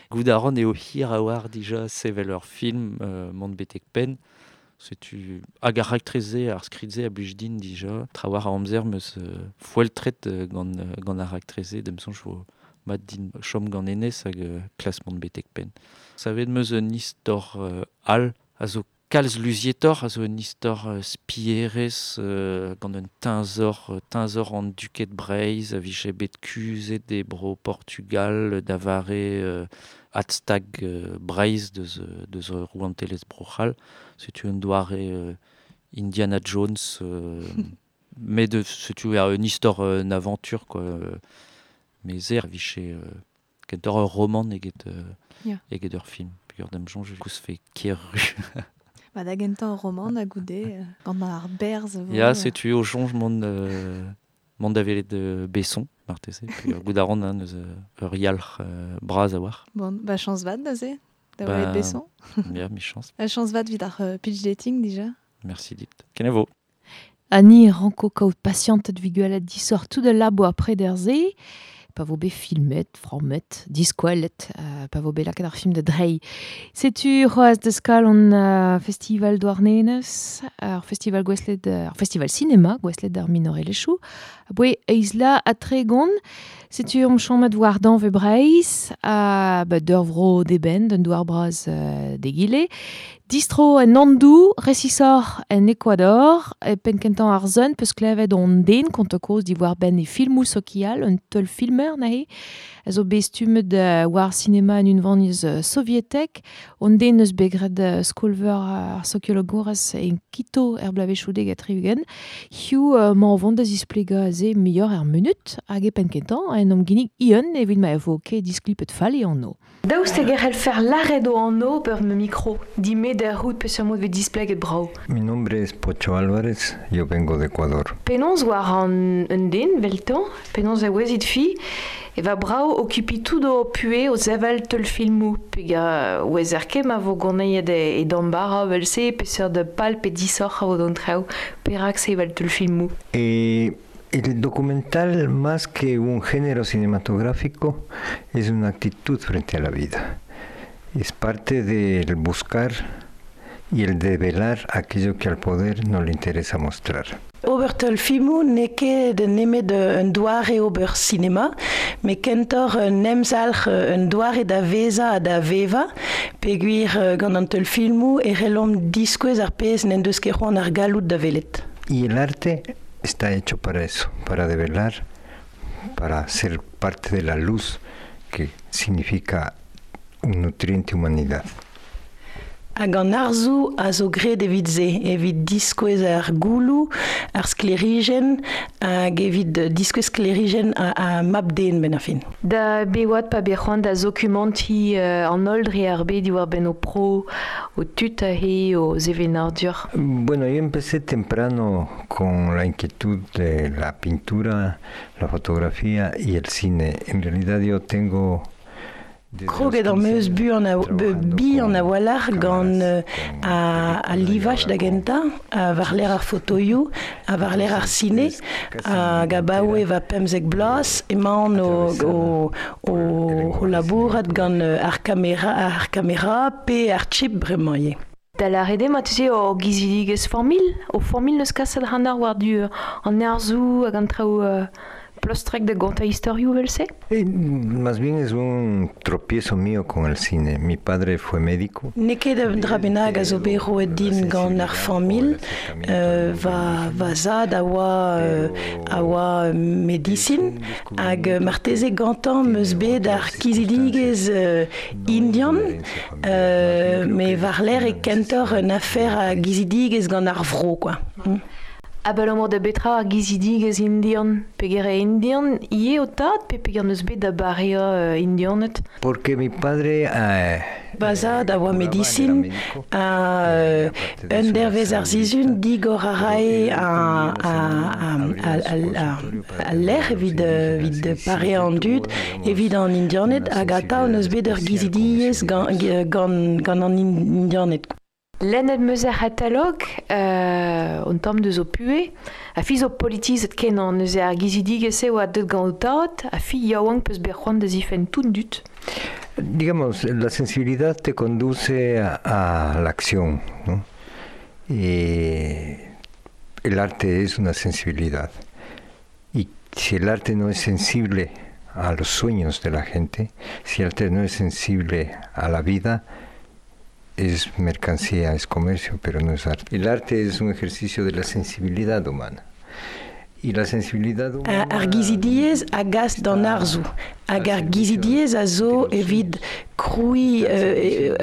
Goût a ran eo hir a-walc'h dija sevel ur film mont betek penn. Setu hag ar raktres-se, ar skrid-se a blij din dija. Trawalc'h a amzer 'm eus foeltret gant ar raktres-se, da'm soñj vo mat din chom gant hennezh hag klask mont betek penn. Savet 'm eus un istor all a zo kalz luzietoc'h, a zo un istor spierez gant un teñzor an duked Breizh a vije bet kuzhet e bro Portugal da vare adstag Breizh deus rouantelezh Bro-C'hall. Setu un doare Indiana Jones, met setu un istor, un aventure, quoi. Mais se vije kentoc'h ur roman eget ur film. Peogwir da'm soñj kousfe ker-ru. Ba da gentañ ur roman ha goude gant ar berzh. Ya, setu o soñj mont da welet Besson, marteze. Peogwir goût a ran neus ur yalc'h bras a-walc'h. Bon, ba chañs vat neuze, da welet Besson. Ya, michañs. Chañs vat evit ar pitch dating dija. Merci dit. Kenavo. Ha ni ranko kaout pasiantet vigualet disor tout al labo apre der-se, pa vo bet filmet, frammet, diskoelet, pa vo bet lakaet ar film da drei. Setu c'hoaz deus kalon festival Douarnenez, ar festival gouestlet, ar festival cinéma gouestlet ar minorelezhioù. Aboe eizla ha tregont, setu omp chomet war danve Breizh, a ba d'ur vro deben, d'un douar bras degile. Distro en Andou, resisor en Ecuador, e penkentan ar zun peus klevet on den kont koz diwar ben e filmou sokial, un teul filmer nahe, a zo bet stummet war cinema en unvaniz sovietek, on den eus bet graet skolver ar sokiologourez en Quito er blavechoudeg a triugen, hiu ma vont da zisplega ze meilleur er munut, hag e penkentan en om ginnig ion evit ma vo ket disklipet fall e anno. Daoust hag er fer laret o anno per me mikro, dime da rout peseurt mod ve displeget brao. Mi nombre es Pocho Álvarez, yo vengo de Ecuador. Penaos war an un den, veltan, penaos a ouezit fi, e va brao okupi tout o pue o zevel teul filmou, pega ouezer ket ma vo goneiet e dambara vel se, peseurt de pal pe disoc'h a vo d'an traoù, perak se vel teul filmou. El documental, más que un género cinematográfico, es una actitud frente a la vida. Es parte del buscar y el develar aquello que al poder no le interesa mostrar. Ober teul filmoù n'eo ket nemet un doare ober cinema, met kentoc'h un emzalc'h un doare da vezañ ha da vevañ, peogwir gant an teul filmoù e c'hellomp diskouez ar pezh n'en deus ket c'hoant ar galloud da welet. Y el arte está hecho para eso, para develar, para ser parte de la luz que significa un nutriente humanidad. Hag an arzoù a zo graet evit se, evit diskouez ar gouloù, ar sklerijenn, hag evit diskouez sklerijenn a mab den ben ar fin. Da bewad pa bet c'hoant da zokumanti an holl dre ar bed diwar ben o pro, o tud a he, o zevenadur. Bueno, yo empecé temprano con la inquietud de la pintura, la fotografía y el cine. En realidad yo tengo... Kroget ar meus bihan a-walc'h gant a livaj da gentañ, a war-lerc'h ar fotoioù, a war-lerc'h ar sine, hag abaoe va 15 bloaz emaon o labourat gant ar kamera pe ar chip bremañ ivez. Da lâret eo ma tu o gizidigezh formil, o formil neus kaset c'hanar war du an arzoù hag an traoù plostrek da gontañ istorioù vel-se? Más bien es un tropiezo mío con el cine. Mi padre fue médico. N'eo ket un dra bennak a zo bet roet din gant ar familh, va zad a oa medisin, hag marteze gantañ meus bet ar kizidigezh indian, me war-lerc'h e kentoc'h un afer a gizidigezh gant ar vro, quoi. Abalamour da betra ar gizidigezh indian, peger e indian ivez o tad, pe peger neus bet da bareañ indianet? Porque mi padre... Va zad a oa medisin, a un dervez ar sizhun digor a rae a lec'h evit pareañ an dud, evit an indianed, hag atav neus bet ur gizidigezh gant an indianed. Lennet meus ar c'hatalog, un tamm deus o pue, a fi zo politizet kenañ neuze ar gizidigezh eo a deut gant o tad, a fi yaouank peus bet c'hoant da zifenn tout dud. Digamos, la sensibilidad te conduce a la acción, ¿no? El arte es una sensibilidad. Y si el arte no es sensible a los sueños de la gente, si el arte no es sensible a la vida, es mercancía, es comercio, pero no es arte. El arte es un ejercicio de la sensibilidad humana. Y la sensibilidad humana... Ar gizidiezh a gas d'an arzoù. Hag ar gizidiezh a zo evit krouiñ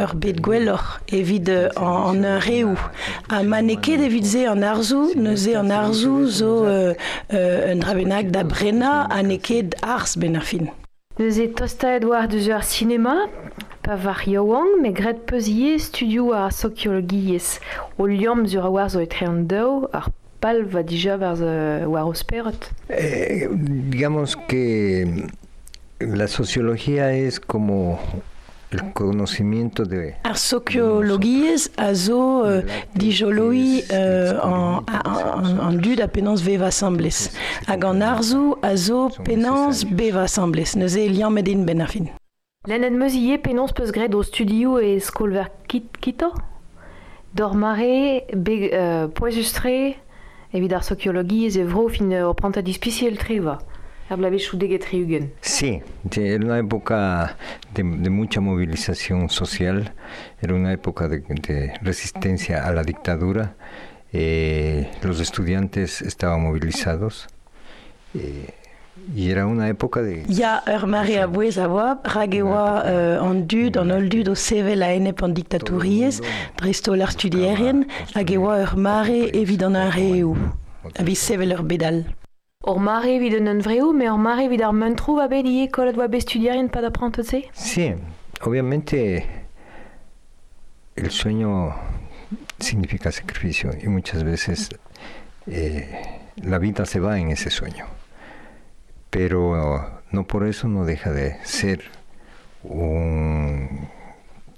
ur bed gwelloc'h, evit an reoù. Ha ma n'eo ket evit se an arzoù, neuze an arzoù zo un dra bennak da brenañ ha n'eo ket arz ben ar fin. Neuze tostaet war deus ar sinema, pa var yaouank, met graet peus ivez studioù ar sokiologiezh. O liamm sur a war zo etre an daou, ar pal va dija war o spered. Digamos que la sociología es como El conocimiento de Ar sokiologiezh a zo dijoloi an dud a penaos veva asambles. Hag an arzoù a zo penaos beva asambles. Neuze liammet int ben ar fin. Lennet meus ivez penaos peus graet o studioù e skolver Quito? D'ur mare be pouezus-tre evit ar sokiologiezh e vro fin ur prantad ispisial-tre oa. Er bloavezhioù deget tri-ugent. Sí, era una época de mucha movilización social, era una época de resistencia a la dictadura. Los estudiantes estaban movilizados y era una época de... Ya, ur mare a bouez a oa, rak e oa an dud, an holl dud o sevel a-enep an diktatouriezh, dreist-holl ar studierien, hag e oa ur mare evit an hunvreoù, evit sevel ur bed all. Ur mare evit an hunvreoù, met ur mare evit ar muntroù oa bet ivez kollet oa bet studierien pad ar prantad-se? Sí, obviamente el sueño significa sacrificio y muchas veces la vida se va en ese sueño. Pero no por eso no deja de ser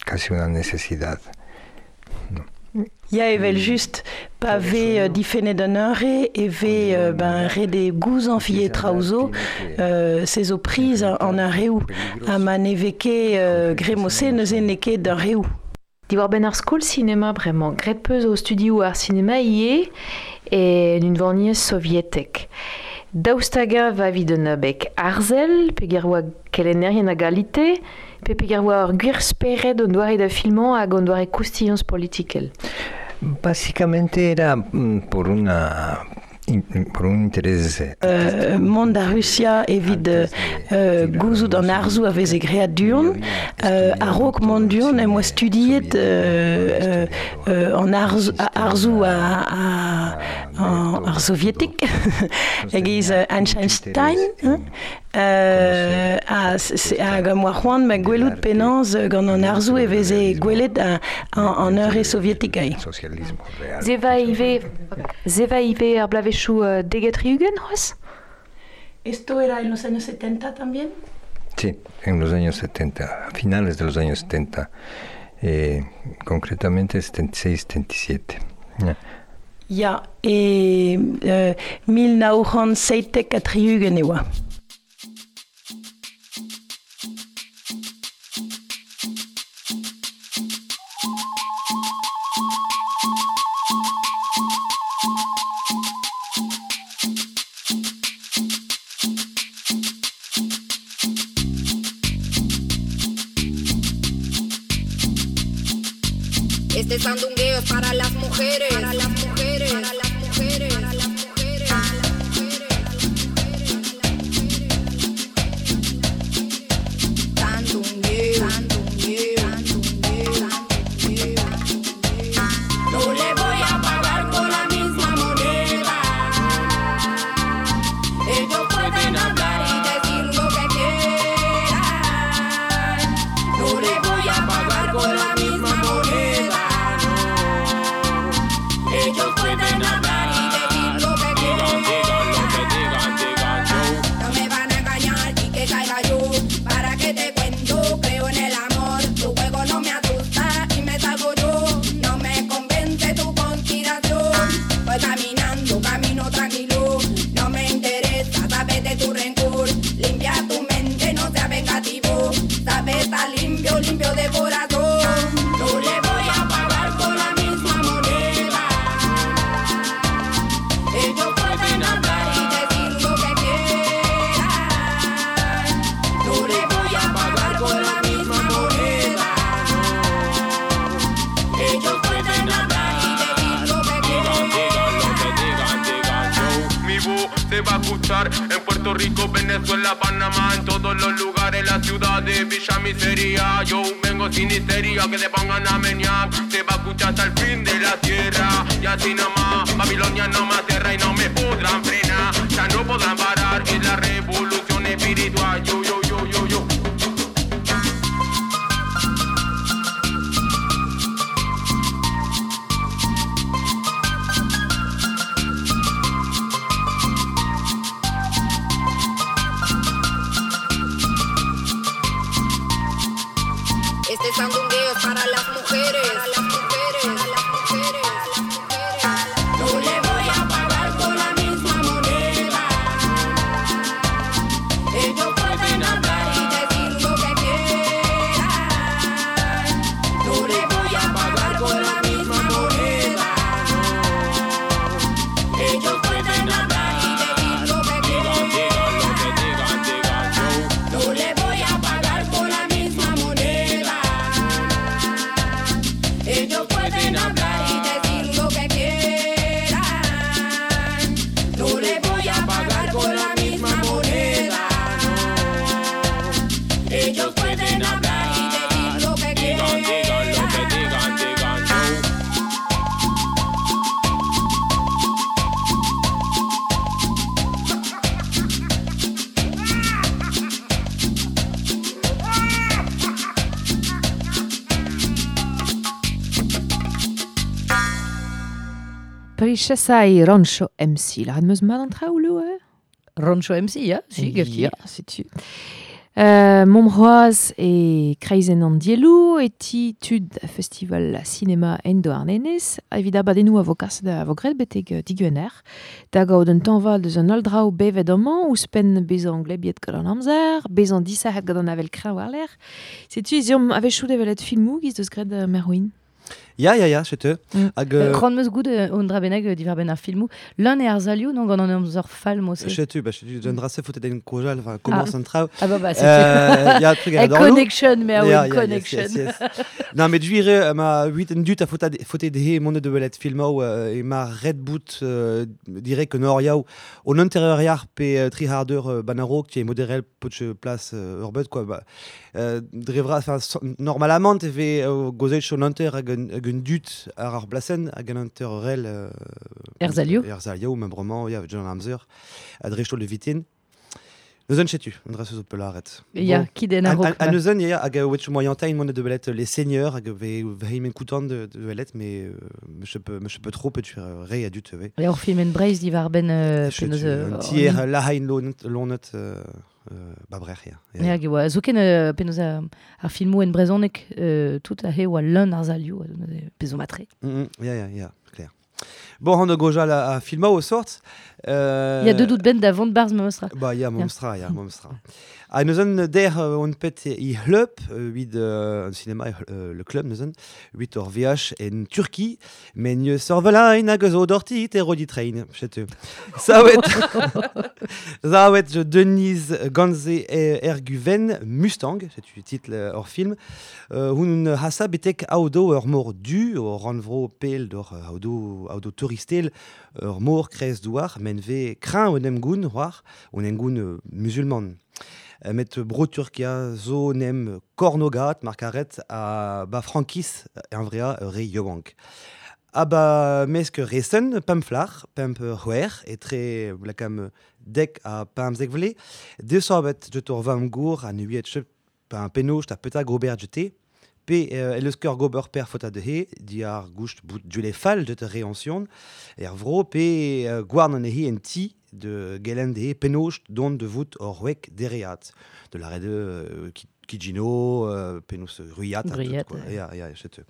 casi una necesidad. No. Ya evel just, pa ve difennet an hunvre e ve ben ret eo gouzañv ivez traoù zo, se zo priz an hunvreoù, ha ma ne vez ket gremose neuze n'eo ket hunvreoù. Diwar-benn ar skol sinema bremañ, graet peus o studioù ar sinema ivez en unvaniezh sovietek. Daoust hag-eñ va evit un abeg arzel, peger oa kelennerien a galite, pe peger oa ur gwir spered an doare da filmañ hag an doare koustiañs politikel? Básicamente era por una por un interés Mont da Rusia evit gouzout an arzoù a veze graet du-hont. A-raok mont du-hont em boa studiet an arzoù ar sovietek e-giz Einstein hag am boa c'hoant ma gwelout penaos gant an arzoù e veze gwelet an hunvre sovietek ae. Se va ivez ar bloavezhioù deget tri-ugent c'hoazh? Esto era en los años 70 también? Sí, en los años 70, a finales de los años 70, concretamente 76, 77. Ya. Ya, e 1977 e oa. Este sandungueo es para las mujeres, para las mujeres, para las mujeres, para las mujeres, para las mujeres. Sandungueo, sandungueo, sandungueo, sandungueo. No le voy a pagar con la misma moneda. Ellos pueden hablar y decir lo que quieran. No le voy a pagar con la misma moneda. Ellos pueden hablar y decir lo que quieran. No me van a engañar y que caiga yo. ¿Para qué te cuento? Creo en el amor. Tu juego no me asusta y me salgo yo. No me convence tu conspiración. Voy caminando, camino tranquilo. No me interesa saber de tu rencor. Limpia tu mente, no seas vengativo. Sabes estar limpio, limpio de corazón. No le voy a pagar con la misma moneda. Ellos pueden hablar y decir lo que quieran. No le voy a pagar con la misma moneda. Ellos pueden hablar y decir lo que quieran. Mi voz se va a escuchar en Puerto Rico, Venezuela, Panamá, en todos los lugares, la ciudad de Villa Miseria. Yo vengo sin histeria, que se pongan a menear. Se va a escuchar hasta el fin de la tierra. Y así nomás, Babilonia no me aterra y no me podrán frenar. Ya no podrán parar, es la revolución espiritual. Yo, yo, yo, yo, yo. Este sandungueo es para las mujeres. Para las mujeres, para las mujeres, las mujeres. No le voy a pagar con la misma moneda. Ellos pueden hablar y decir lo que quieran. No le voy a pagar con la misma moneda. Ellos pueden hablar y decir lo que quieran. No le voy a pagar con la misma moneda. Ellos pueden hablar y decir lo que quieran. No le voy a pagar con la misma moneda. Ellos pueden hablar y decir lo que quieran. Prichesai Rancho MC. La meus mat an traoù lo, eh? Rancho MC, ya, si, gefti. Ya, setu. Momroaz e kreizenn an dielou e ti tud festival cinema en Douarnenez evit abadennoù a vo kaset a vo graet betek diguener. Da gaout un tanval deus an holl draoù bevet amañ ouzhpenn bezañ glebiet gant an amzer, bezañ disac'het gant an avel kreñv war-lerc'h. Setu ez eomp a-wechoù da welet filmoù giz deus graet Merwin. Ya, ya, ya, setu. Hag, C'hoant meus gout on dra bennak diwar benn ar filmoù. L'un e ar zalioù, non, gant an amzer fall, mo se. Setu, ba, setu, d'un drase faute den kojal, enfin, commence Ah. an traoù. Ah bah, bah, setu. Ya, truc A a dorlo. connection, mais a Ya, oa ya, yes, connection. yes, yes. Non, mais duire, ma huit en dut a faute de mont de belet filmou, e ma Red Boot, dire que nor yaou, on intérieur yar pe tri harder banaro, qui est modérel poch place urbet, quoi, bah, drevra, enfin, so, normalement, te ve gozet on inter hag un dut ar ar blasen, hag un inter rel, Erzalio. Erzalio, membrement, ya, John Amzer, a drechtol de vitin. Neuzen chetu, an dra zo pelaret. Ya, Bon. ki den a-raok, A ba. neuzen, ya, hag a wetch moyentain mont de belet les seigneurs, hag ve veimen koutant de belet, mais me che peu trop, pe tu re a dut, ve. Ya, ur film en Breizh diwar benn Chetu, penaos, un hor tier ni. lahain lonet babrer, ya. Ya, hag e oa zoken penaos ar filmoù en brezhoneg tout a he oa leun ar zalioù, pezo matre. Ya, ya, ya, clair. Bon, on a gojal a filma o sort. Ya deux dout ben da vont barz memestra. Ba, ya, Ya. memestra, ya, memestra. A neuzen der on pet i hleup, vid un cinéma, le club neuzen, huit ur VH en Turquie, men ne sorvelain hag zo dorti te rodi train, chetu. Saouet, saouet je Denise Ganze Erguven Mustang, c'est titre hors film, hun hasa betek aodo ur mor du, ur ranvro pel d'or aodo touristel, ur mor krez douar, men ve krañ un emgoun, war, un emgoun musulman. Met bro Turkia zo nem kornogat markaret a ba frankis en vrea re yobank. A ba mesk resen pamflar, pamp c'hwer, etre blakam dek a pamzek vle, desorbet jetor vam gour a nuiet chep pa un penoch ta peta gober jete, pe el eus gober per fota de he, di ar goust bout du fall de te réansion, er vro pe gwarn an he en ti de gelen de he penoch don de vout or wek dereat. De la de Kijino, penos ruiat, a tout, Ruiat, quoi. ouais. Ya, ya, chetu.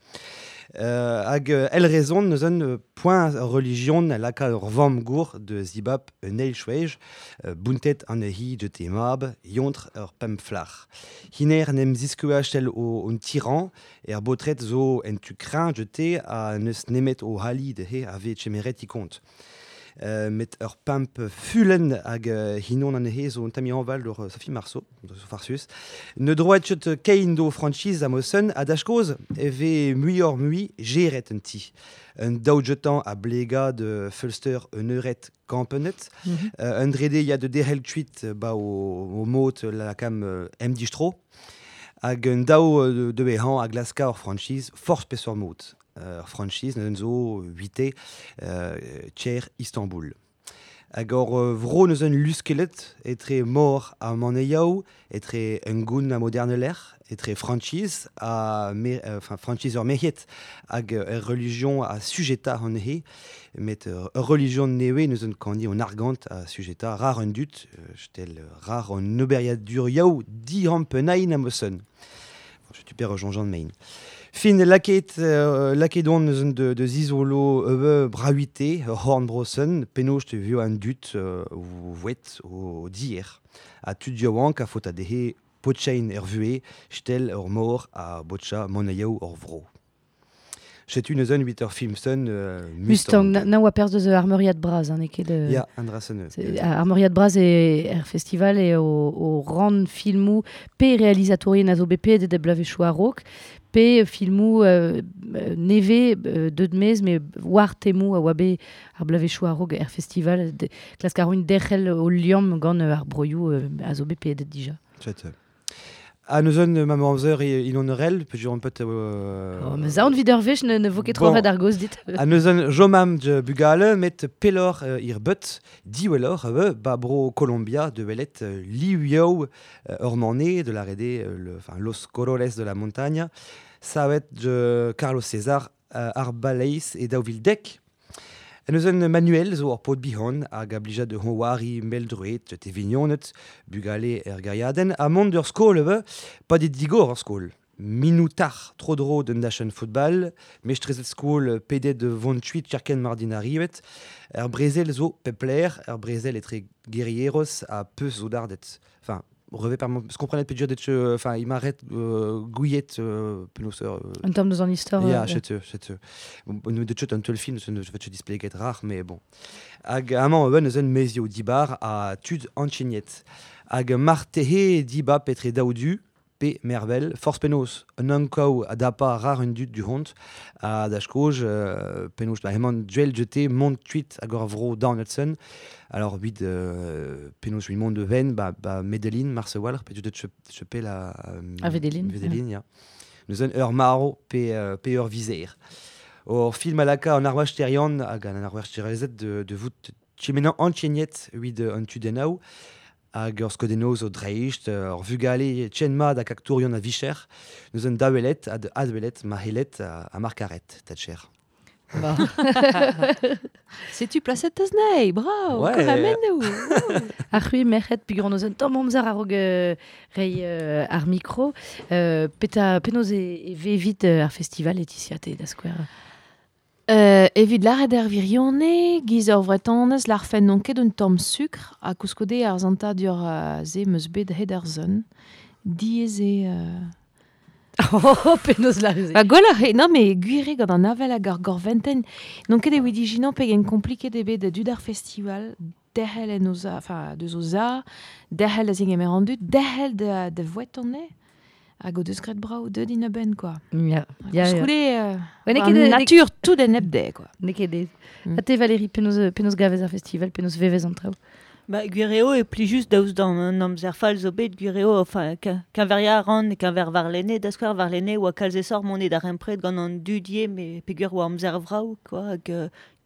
Hag el rezon neus un point religion laka ur vamm gour de zibab un eil chouej, buntet an hi de te mab, yontr ur pemflar. Hiner nem ziskuach tel o un tyran, er botret zo en tu craint de te a neus nemet o hali de he ave chemeret i kont. Met ur pimp fulen hag hinon an he zo un tami anval d'ur Sophie Marceau, de so farsus. Ne droit chet kein do franchise a mosen a dachkoz e ve muior mui geret un ti. Un daoujetan a blega de Fulster un euret kampenet. Un drede ya de derel tuit ba o mot la kam M distro. Hag un daou de behan a glaska ur franchise force pesor mot. Franchise neun zo 8 tcher Istanbul. Hag ur vro neus un luskelet etre mor a maneiaou, etre un goun a moderneler, etre franchise a me, enfin, franchise ur mehiet hag ur religion a sujeta an he, met ur religion newe neus un kandi on argant a sujeta rar un dut, jetel rar an oberiadur yaou di ampenain a mosen. Setu per Jean-Jean Main. Fin laket, laket on eus de zizolo ebe brahuite, horn brosen, penaos te vio an dut o vouet o dier. A tud yaouank a faot a dehe potchein er vue, stel ur mor a botcha monaioù ur vro. Setu neus un 8 ur film sun Mustang, na oa perz deus Armeuriad Braz, hein, ket... Ya, an dra sen. Armeuriad Braz e er festival e o ran filmou pe realizatourien a zo bet de blavechoù a-raok, pe filmou neve deud mez, me war temou a oa bet ar blavechoù a-raok er festival, klask ar roin derc'hel o liamm gant ar broioù a zo bet pedet dija. Chet. A neus un ma amzer il on rel, pe un peut Oh, mais zaon vid ur wech ne vo ket tro red ar goz dit. A neus un jomam de bugale met pelor ir beut diwelor ba bro Colombia de welet liuioù ur mané de la rede enfin los colores de la montagne savet de Carlos César Arbaleis e daouvildek. En eus un manuel zo ur pod bihon hag a blija de honwari meldruet te vignonet bugale er gaiaden a mont ur skol ebe pa dit digor ur skol. Minutar tro dro d'un dachenn football, mestrezet skol pedet de vontuit cherken mardin arrivet, er brezel zo pepler, er brezel etre guerrieros a peus zo dardet. Enfin, revet par ce qu'on prenait peut dire enfin il m'arrête gouillette penaos En termes de son histoire. Ya, chet bon de chet un tel film je vais te display get rare mais bon. Hag amañ eun eus un mezio dibar a tud anchignet. Hag martehe diba petre daoudu pe mervel force penaos un ankaou a dapa rar un dud du hont a da skoj penaos ba hemañ duel jeté mont tuit hag ur vro Donaldson. Alors vid penaos vid mont de ven ba Medellin Marsewal pe dud chepe la A Medellin, Medellin ya. Neus un ur maro pe ur vizer. Or film a laka an arwach terian hag an arwach terezet de vout chimenan anchignet vid an tudennaou hag ur skodenoz o dreist, ur vugale tchenmad hag aktourion a vicher, neus un daouelet ad adwelet ma helet a markaret, tatcher. Ba. Setu plaset teus nei, bravo, Ouais. kouramennou. Ar c'hwi merc'hed peogwir hon eus un tamm amzer a-raok rei ar mikro. Peta penaos e vevit ar festival Laetitia te da skouer? Evit lâret er virionne, giz ur vretonez, l'arfen n'on ket un tamm sukr, ha koulskoude ar zantadur ze meus bet hed ar zon. Diaes eo Oh, penaos lâret. Ba gwelloc'h eo, non, mais gwir eo gant an avel hag ar gorventen. N'on ket evit ijinan pegen kompliket eo bet dud ar festival, derc'hel en o za, enfin, deus o za, derc'hel da zegemer an dud, derc'hel da vouet an eo. Hag o deus graet brao deut in a-benn, quoi. Ya, Hag ya, ya. koulskoude, Ouais, n'eo an ket natur tout en hep dezhe, quoi. N'eo ket aes. Ha te, Valérie, penaos gavez ar festival, penaos vevez an traoù? Ba, gwir eo e pli just daoust d'an an amzer fall zo bet, gwir eo, enfin, keñveria a ran, keñver warlene, da skouer warlene, oa kalz esor mont e d'ar empred gant an dudie, me peogwir oa amzer vrav, quoi, hag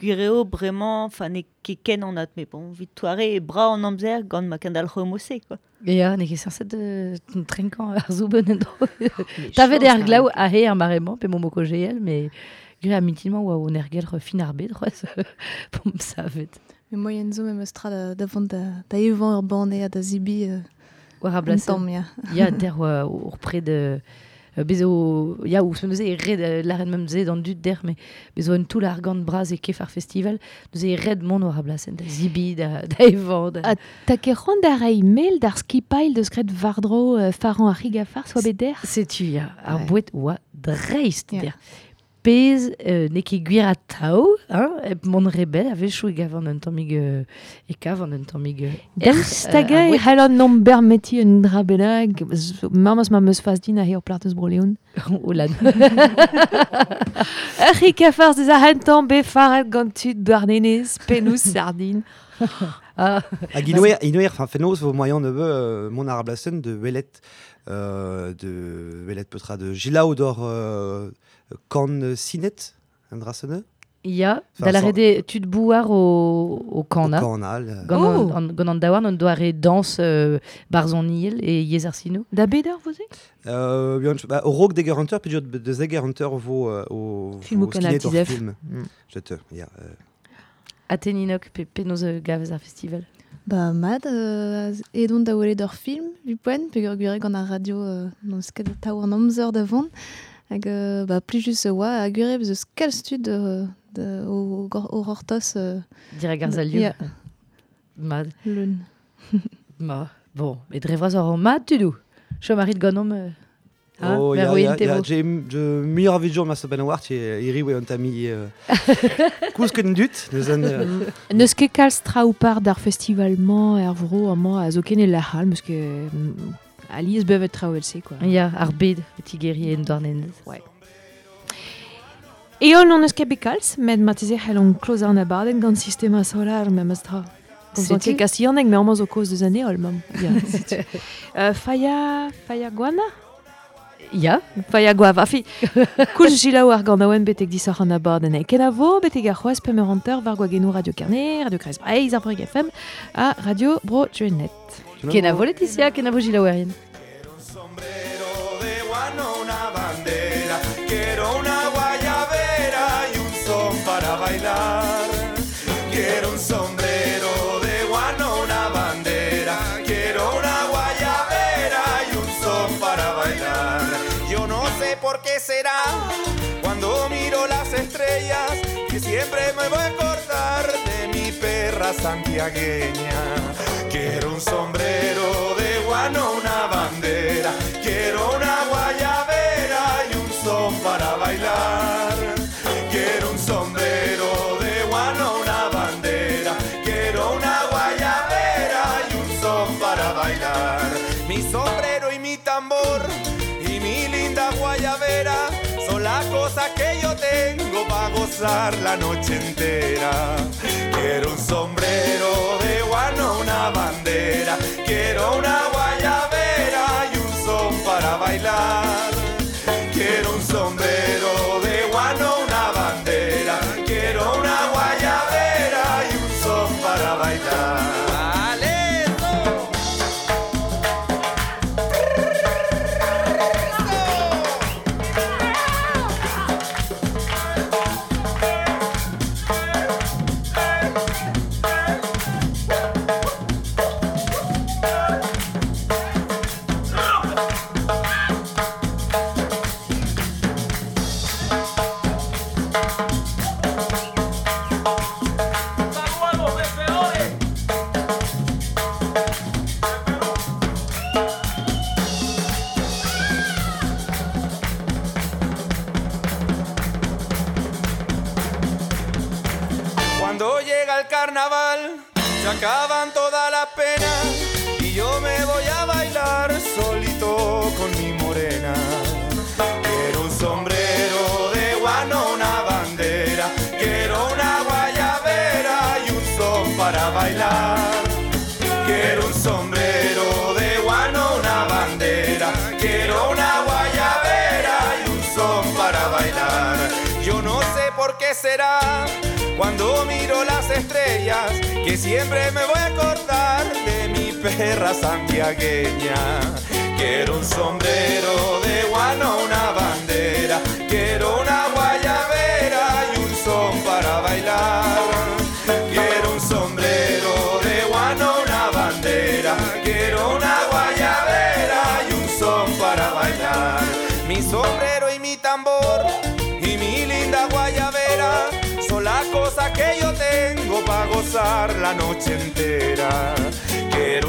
gwir eo bremañ, enfin, n'eo ket ken an at, mais bon, vit toare e bra an amzer gant ma kendalc'ho mose, quoi. Ya, n'eo ket sañset trenkañ ar zoubenn en-dro. Tavet eo ar glav a he ar mare-mañ, pe mo moko GL, mais gwir a mintin-mañ oa o ergelc'h fin ar bed, c'hoazh, p'omp savet. Me moyen zo memes tra da vont da evañ ur banne ha da zibi War ar un blasenn. tamm, ya. Ya, der oa ur pred bezo, ya, ouzh neuze e red lâret meum ze d'an dud der, mais bezo un toull argant bras e kef ar festival, neuze e red mont war ar blasenn da zibi, da evañ. Da... Ha ta ket c'hoant da reiñ mel d'ar skipailh deus graet war-dro faran ar c'hig a fars oa bet der? Setu, ya, ar Ouais. boued oa dreist Ya. der. Pez n'eo ket gwir atav, hein, hep mont rebel, a-wechoù e gavan un tammig e kavan un tammig Daoust erc'h, hag ar e boued. c'hell an nomp bermeti un dra bennak, mammas ma meus fas din a ur plat eus Bro-Leon. O lan. Ur c'hig a fars deus ar c'hentañ bet faret gant tud Douarnenez, pennoù sardine. Ah. Hag inoer, enfin, fenoz vo moyen de mont ar blasen de welet petra de gilaou d'or kan sinet, an drasene? Ya, Enfin, da la sans- rede tud bouar o kana. O kana, le- Gant Oh. gant an daouarn an doare danse barzhoniel e yezh ar sinoù. Da beder, vous êtes? Bihan, ba, o raok deger hunter, pe de zeger hunter vo o Film o vo Canal skinet ur Tizef. film. Je te, ya. Ateninok pe penaos gavez ar festival. Ba mat, edon da welet ur film, vi poent, peogwir gwir gant ar radio n'eus ket tav an amzer da vont. Hag ba plijus oa ha gwir eo eus kalz tud o gortoz. Dirak ar salioù. Ya. Mat. Leun. Ma, bon, met dre vras ar mat tudoù. Chom a rit ganeomp Oh, ya, ya, ya, j'ai muioc'h a video ma so ben war, iri oe an tami koulz ket dut, neus an... Neus ket kalz traoù par d'ar festival-mañ er vro amañ a zo ken e lec'h all, meus ket alies bevet traoù else, quoi. Ya, ar bed, o tigeri en Douarnenez. Ouais. Eol n'on eus ket bet kalz, met marteze c'hell on kloz an abadenn gant Sistema Solar memes tra. Komzan ket kastillaneg, met amañ zo kaoz deus an heol, mamm. Ya, setu. Faia Guana? Ya. Faia Guava. Afi, koulz jilaou ar ganaouenn betek disoc'h an abadenn. Kenavo, betek ar c'hoazh pemp eur hanter war gwagennoù Radio Kerne, Radio Kreiz Breizh, Arvorig FM ha Radio Bro Gwened. Kenavo Laetitia, kenavo jilaouerien. De guano una bandera, quiero una guayabera y un son para bailar. Quiero un sombrero de guano, una bandera, quiero una guayabera y un son para bailar. Yo no sé por qué será cuando miro las estrellas que siempre me voy a acordar de mi perra santiagueña. Quiero un sombrero de guano, una bandera, quiero una guayabera y un son para bailar. Quiero un sombrero de guano, una bandera, quiero una guayabera y un son para bailar. Mi sombrero y mi tambor y mi linda guayabera son las cosas que yo tengo para gozar la noche entera. Quiero un sombrero de guano, una bandera, quiero una guayabera y un son para bailar. Quiero un sombrero de guano, una bandera, quiero una guayabera y un son para bailar. ¡Aleto! Cuando llega el carnaval, se acaban todas las penas y yo me voy a bailar solito con mi morena. Quiero un sombrero de guano, una bandera, quiero una guayabera y un son para bailar. Quiero un sombrero de guano, una bandera, quiero una guayabera y un son para bailar. Yo no sé por qué será cuando miro las estrellas que siempre me voy a acordar de mi perra santiagueña. Quiero un sombrero de guano, una bandera, quiero una guayabera y un son para bailar. Quiero un sombrero de guano, una bandera, quiero una guayabera y un son para bailar. Mi sombrero y mi tambor y mi linda guayabera son las cosas que yo tengo para gozar la noche entera. Quiero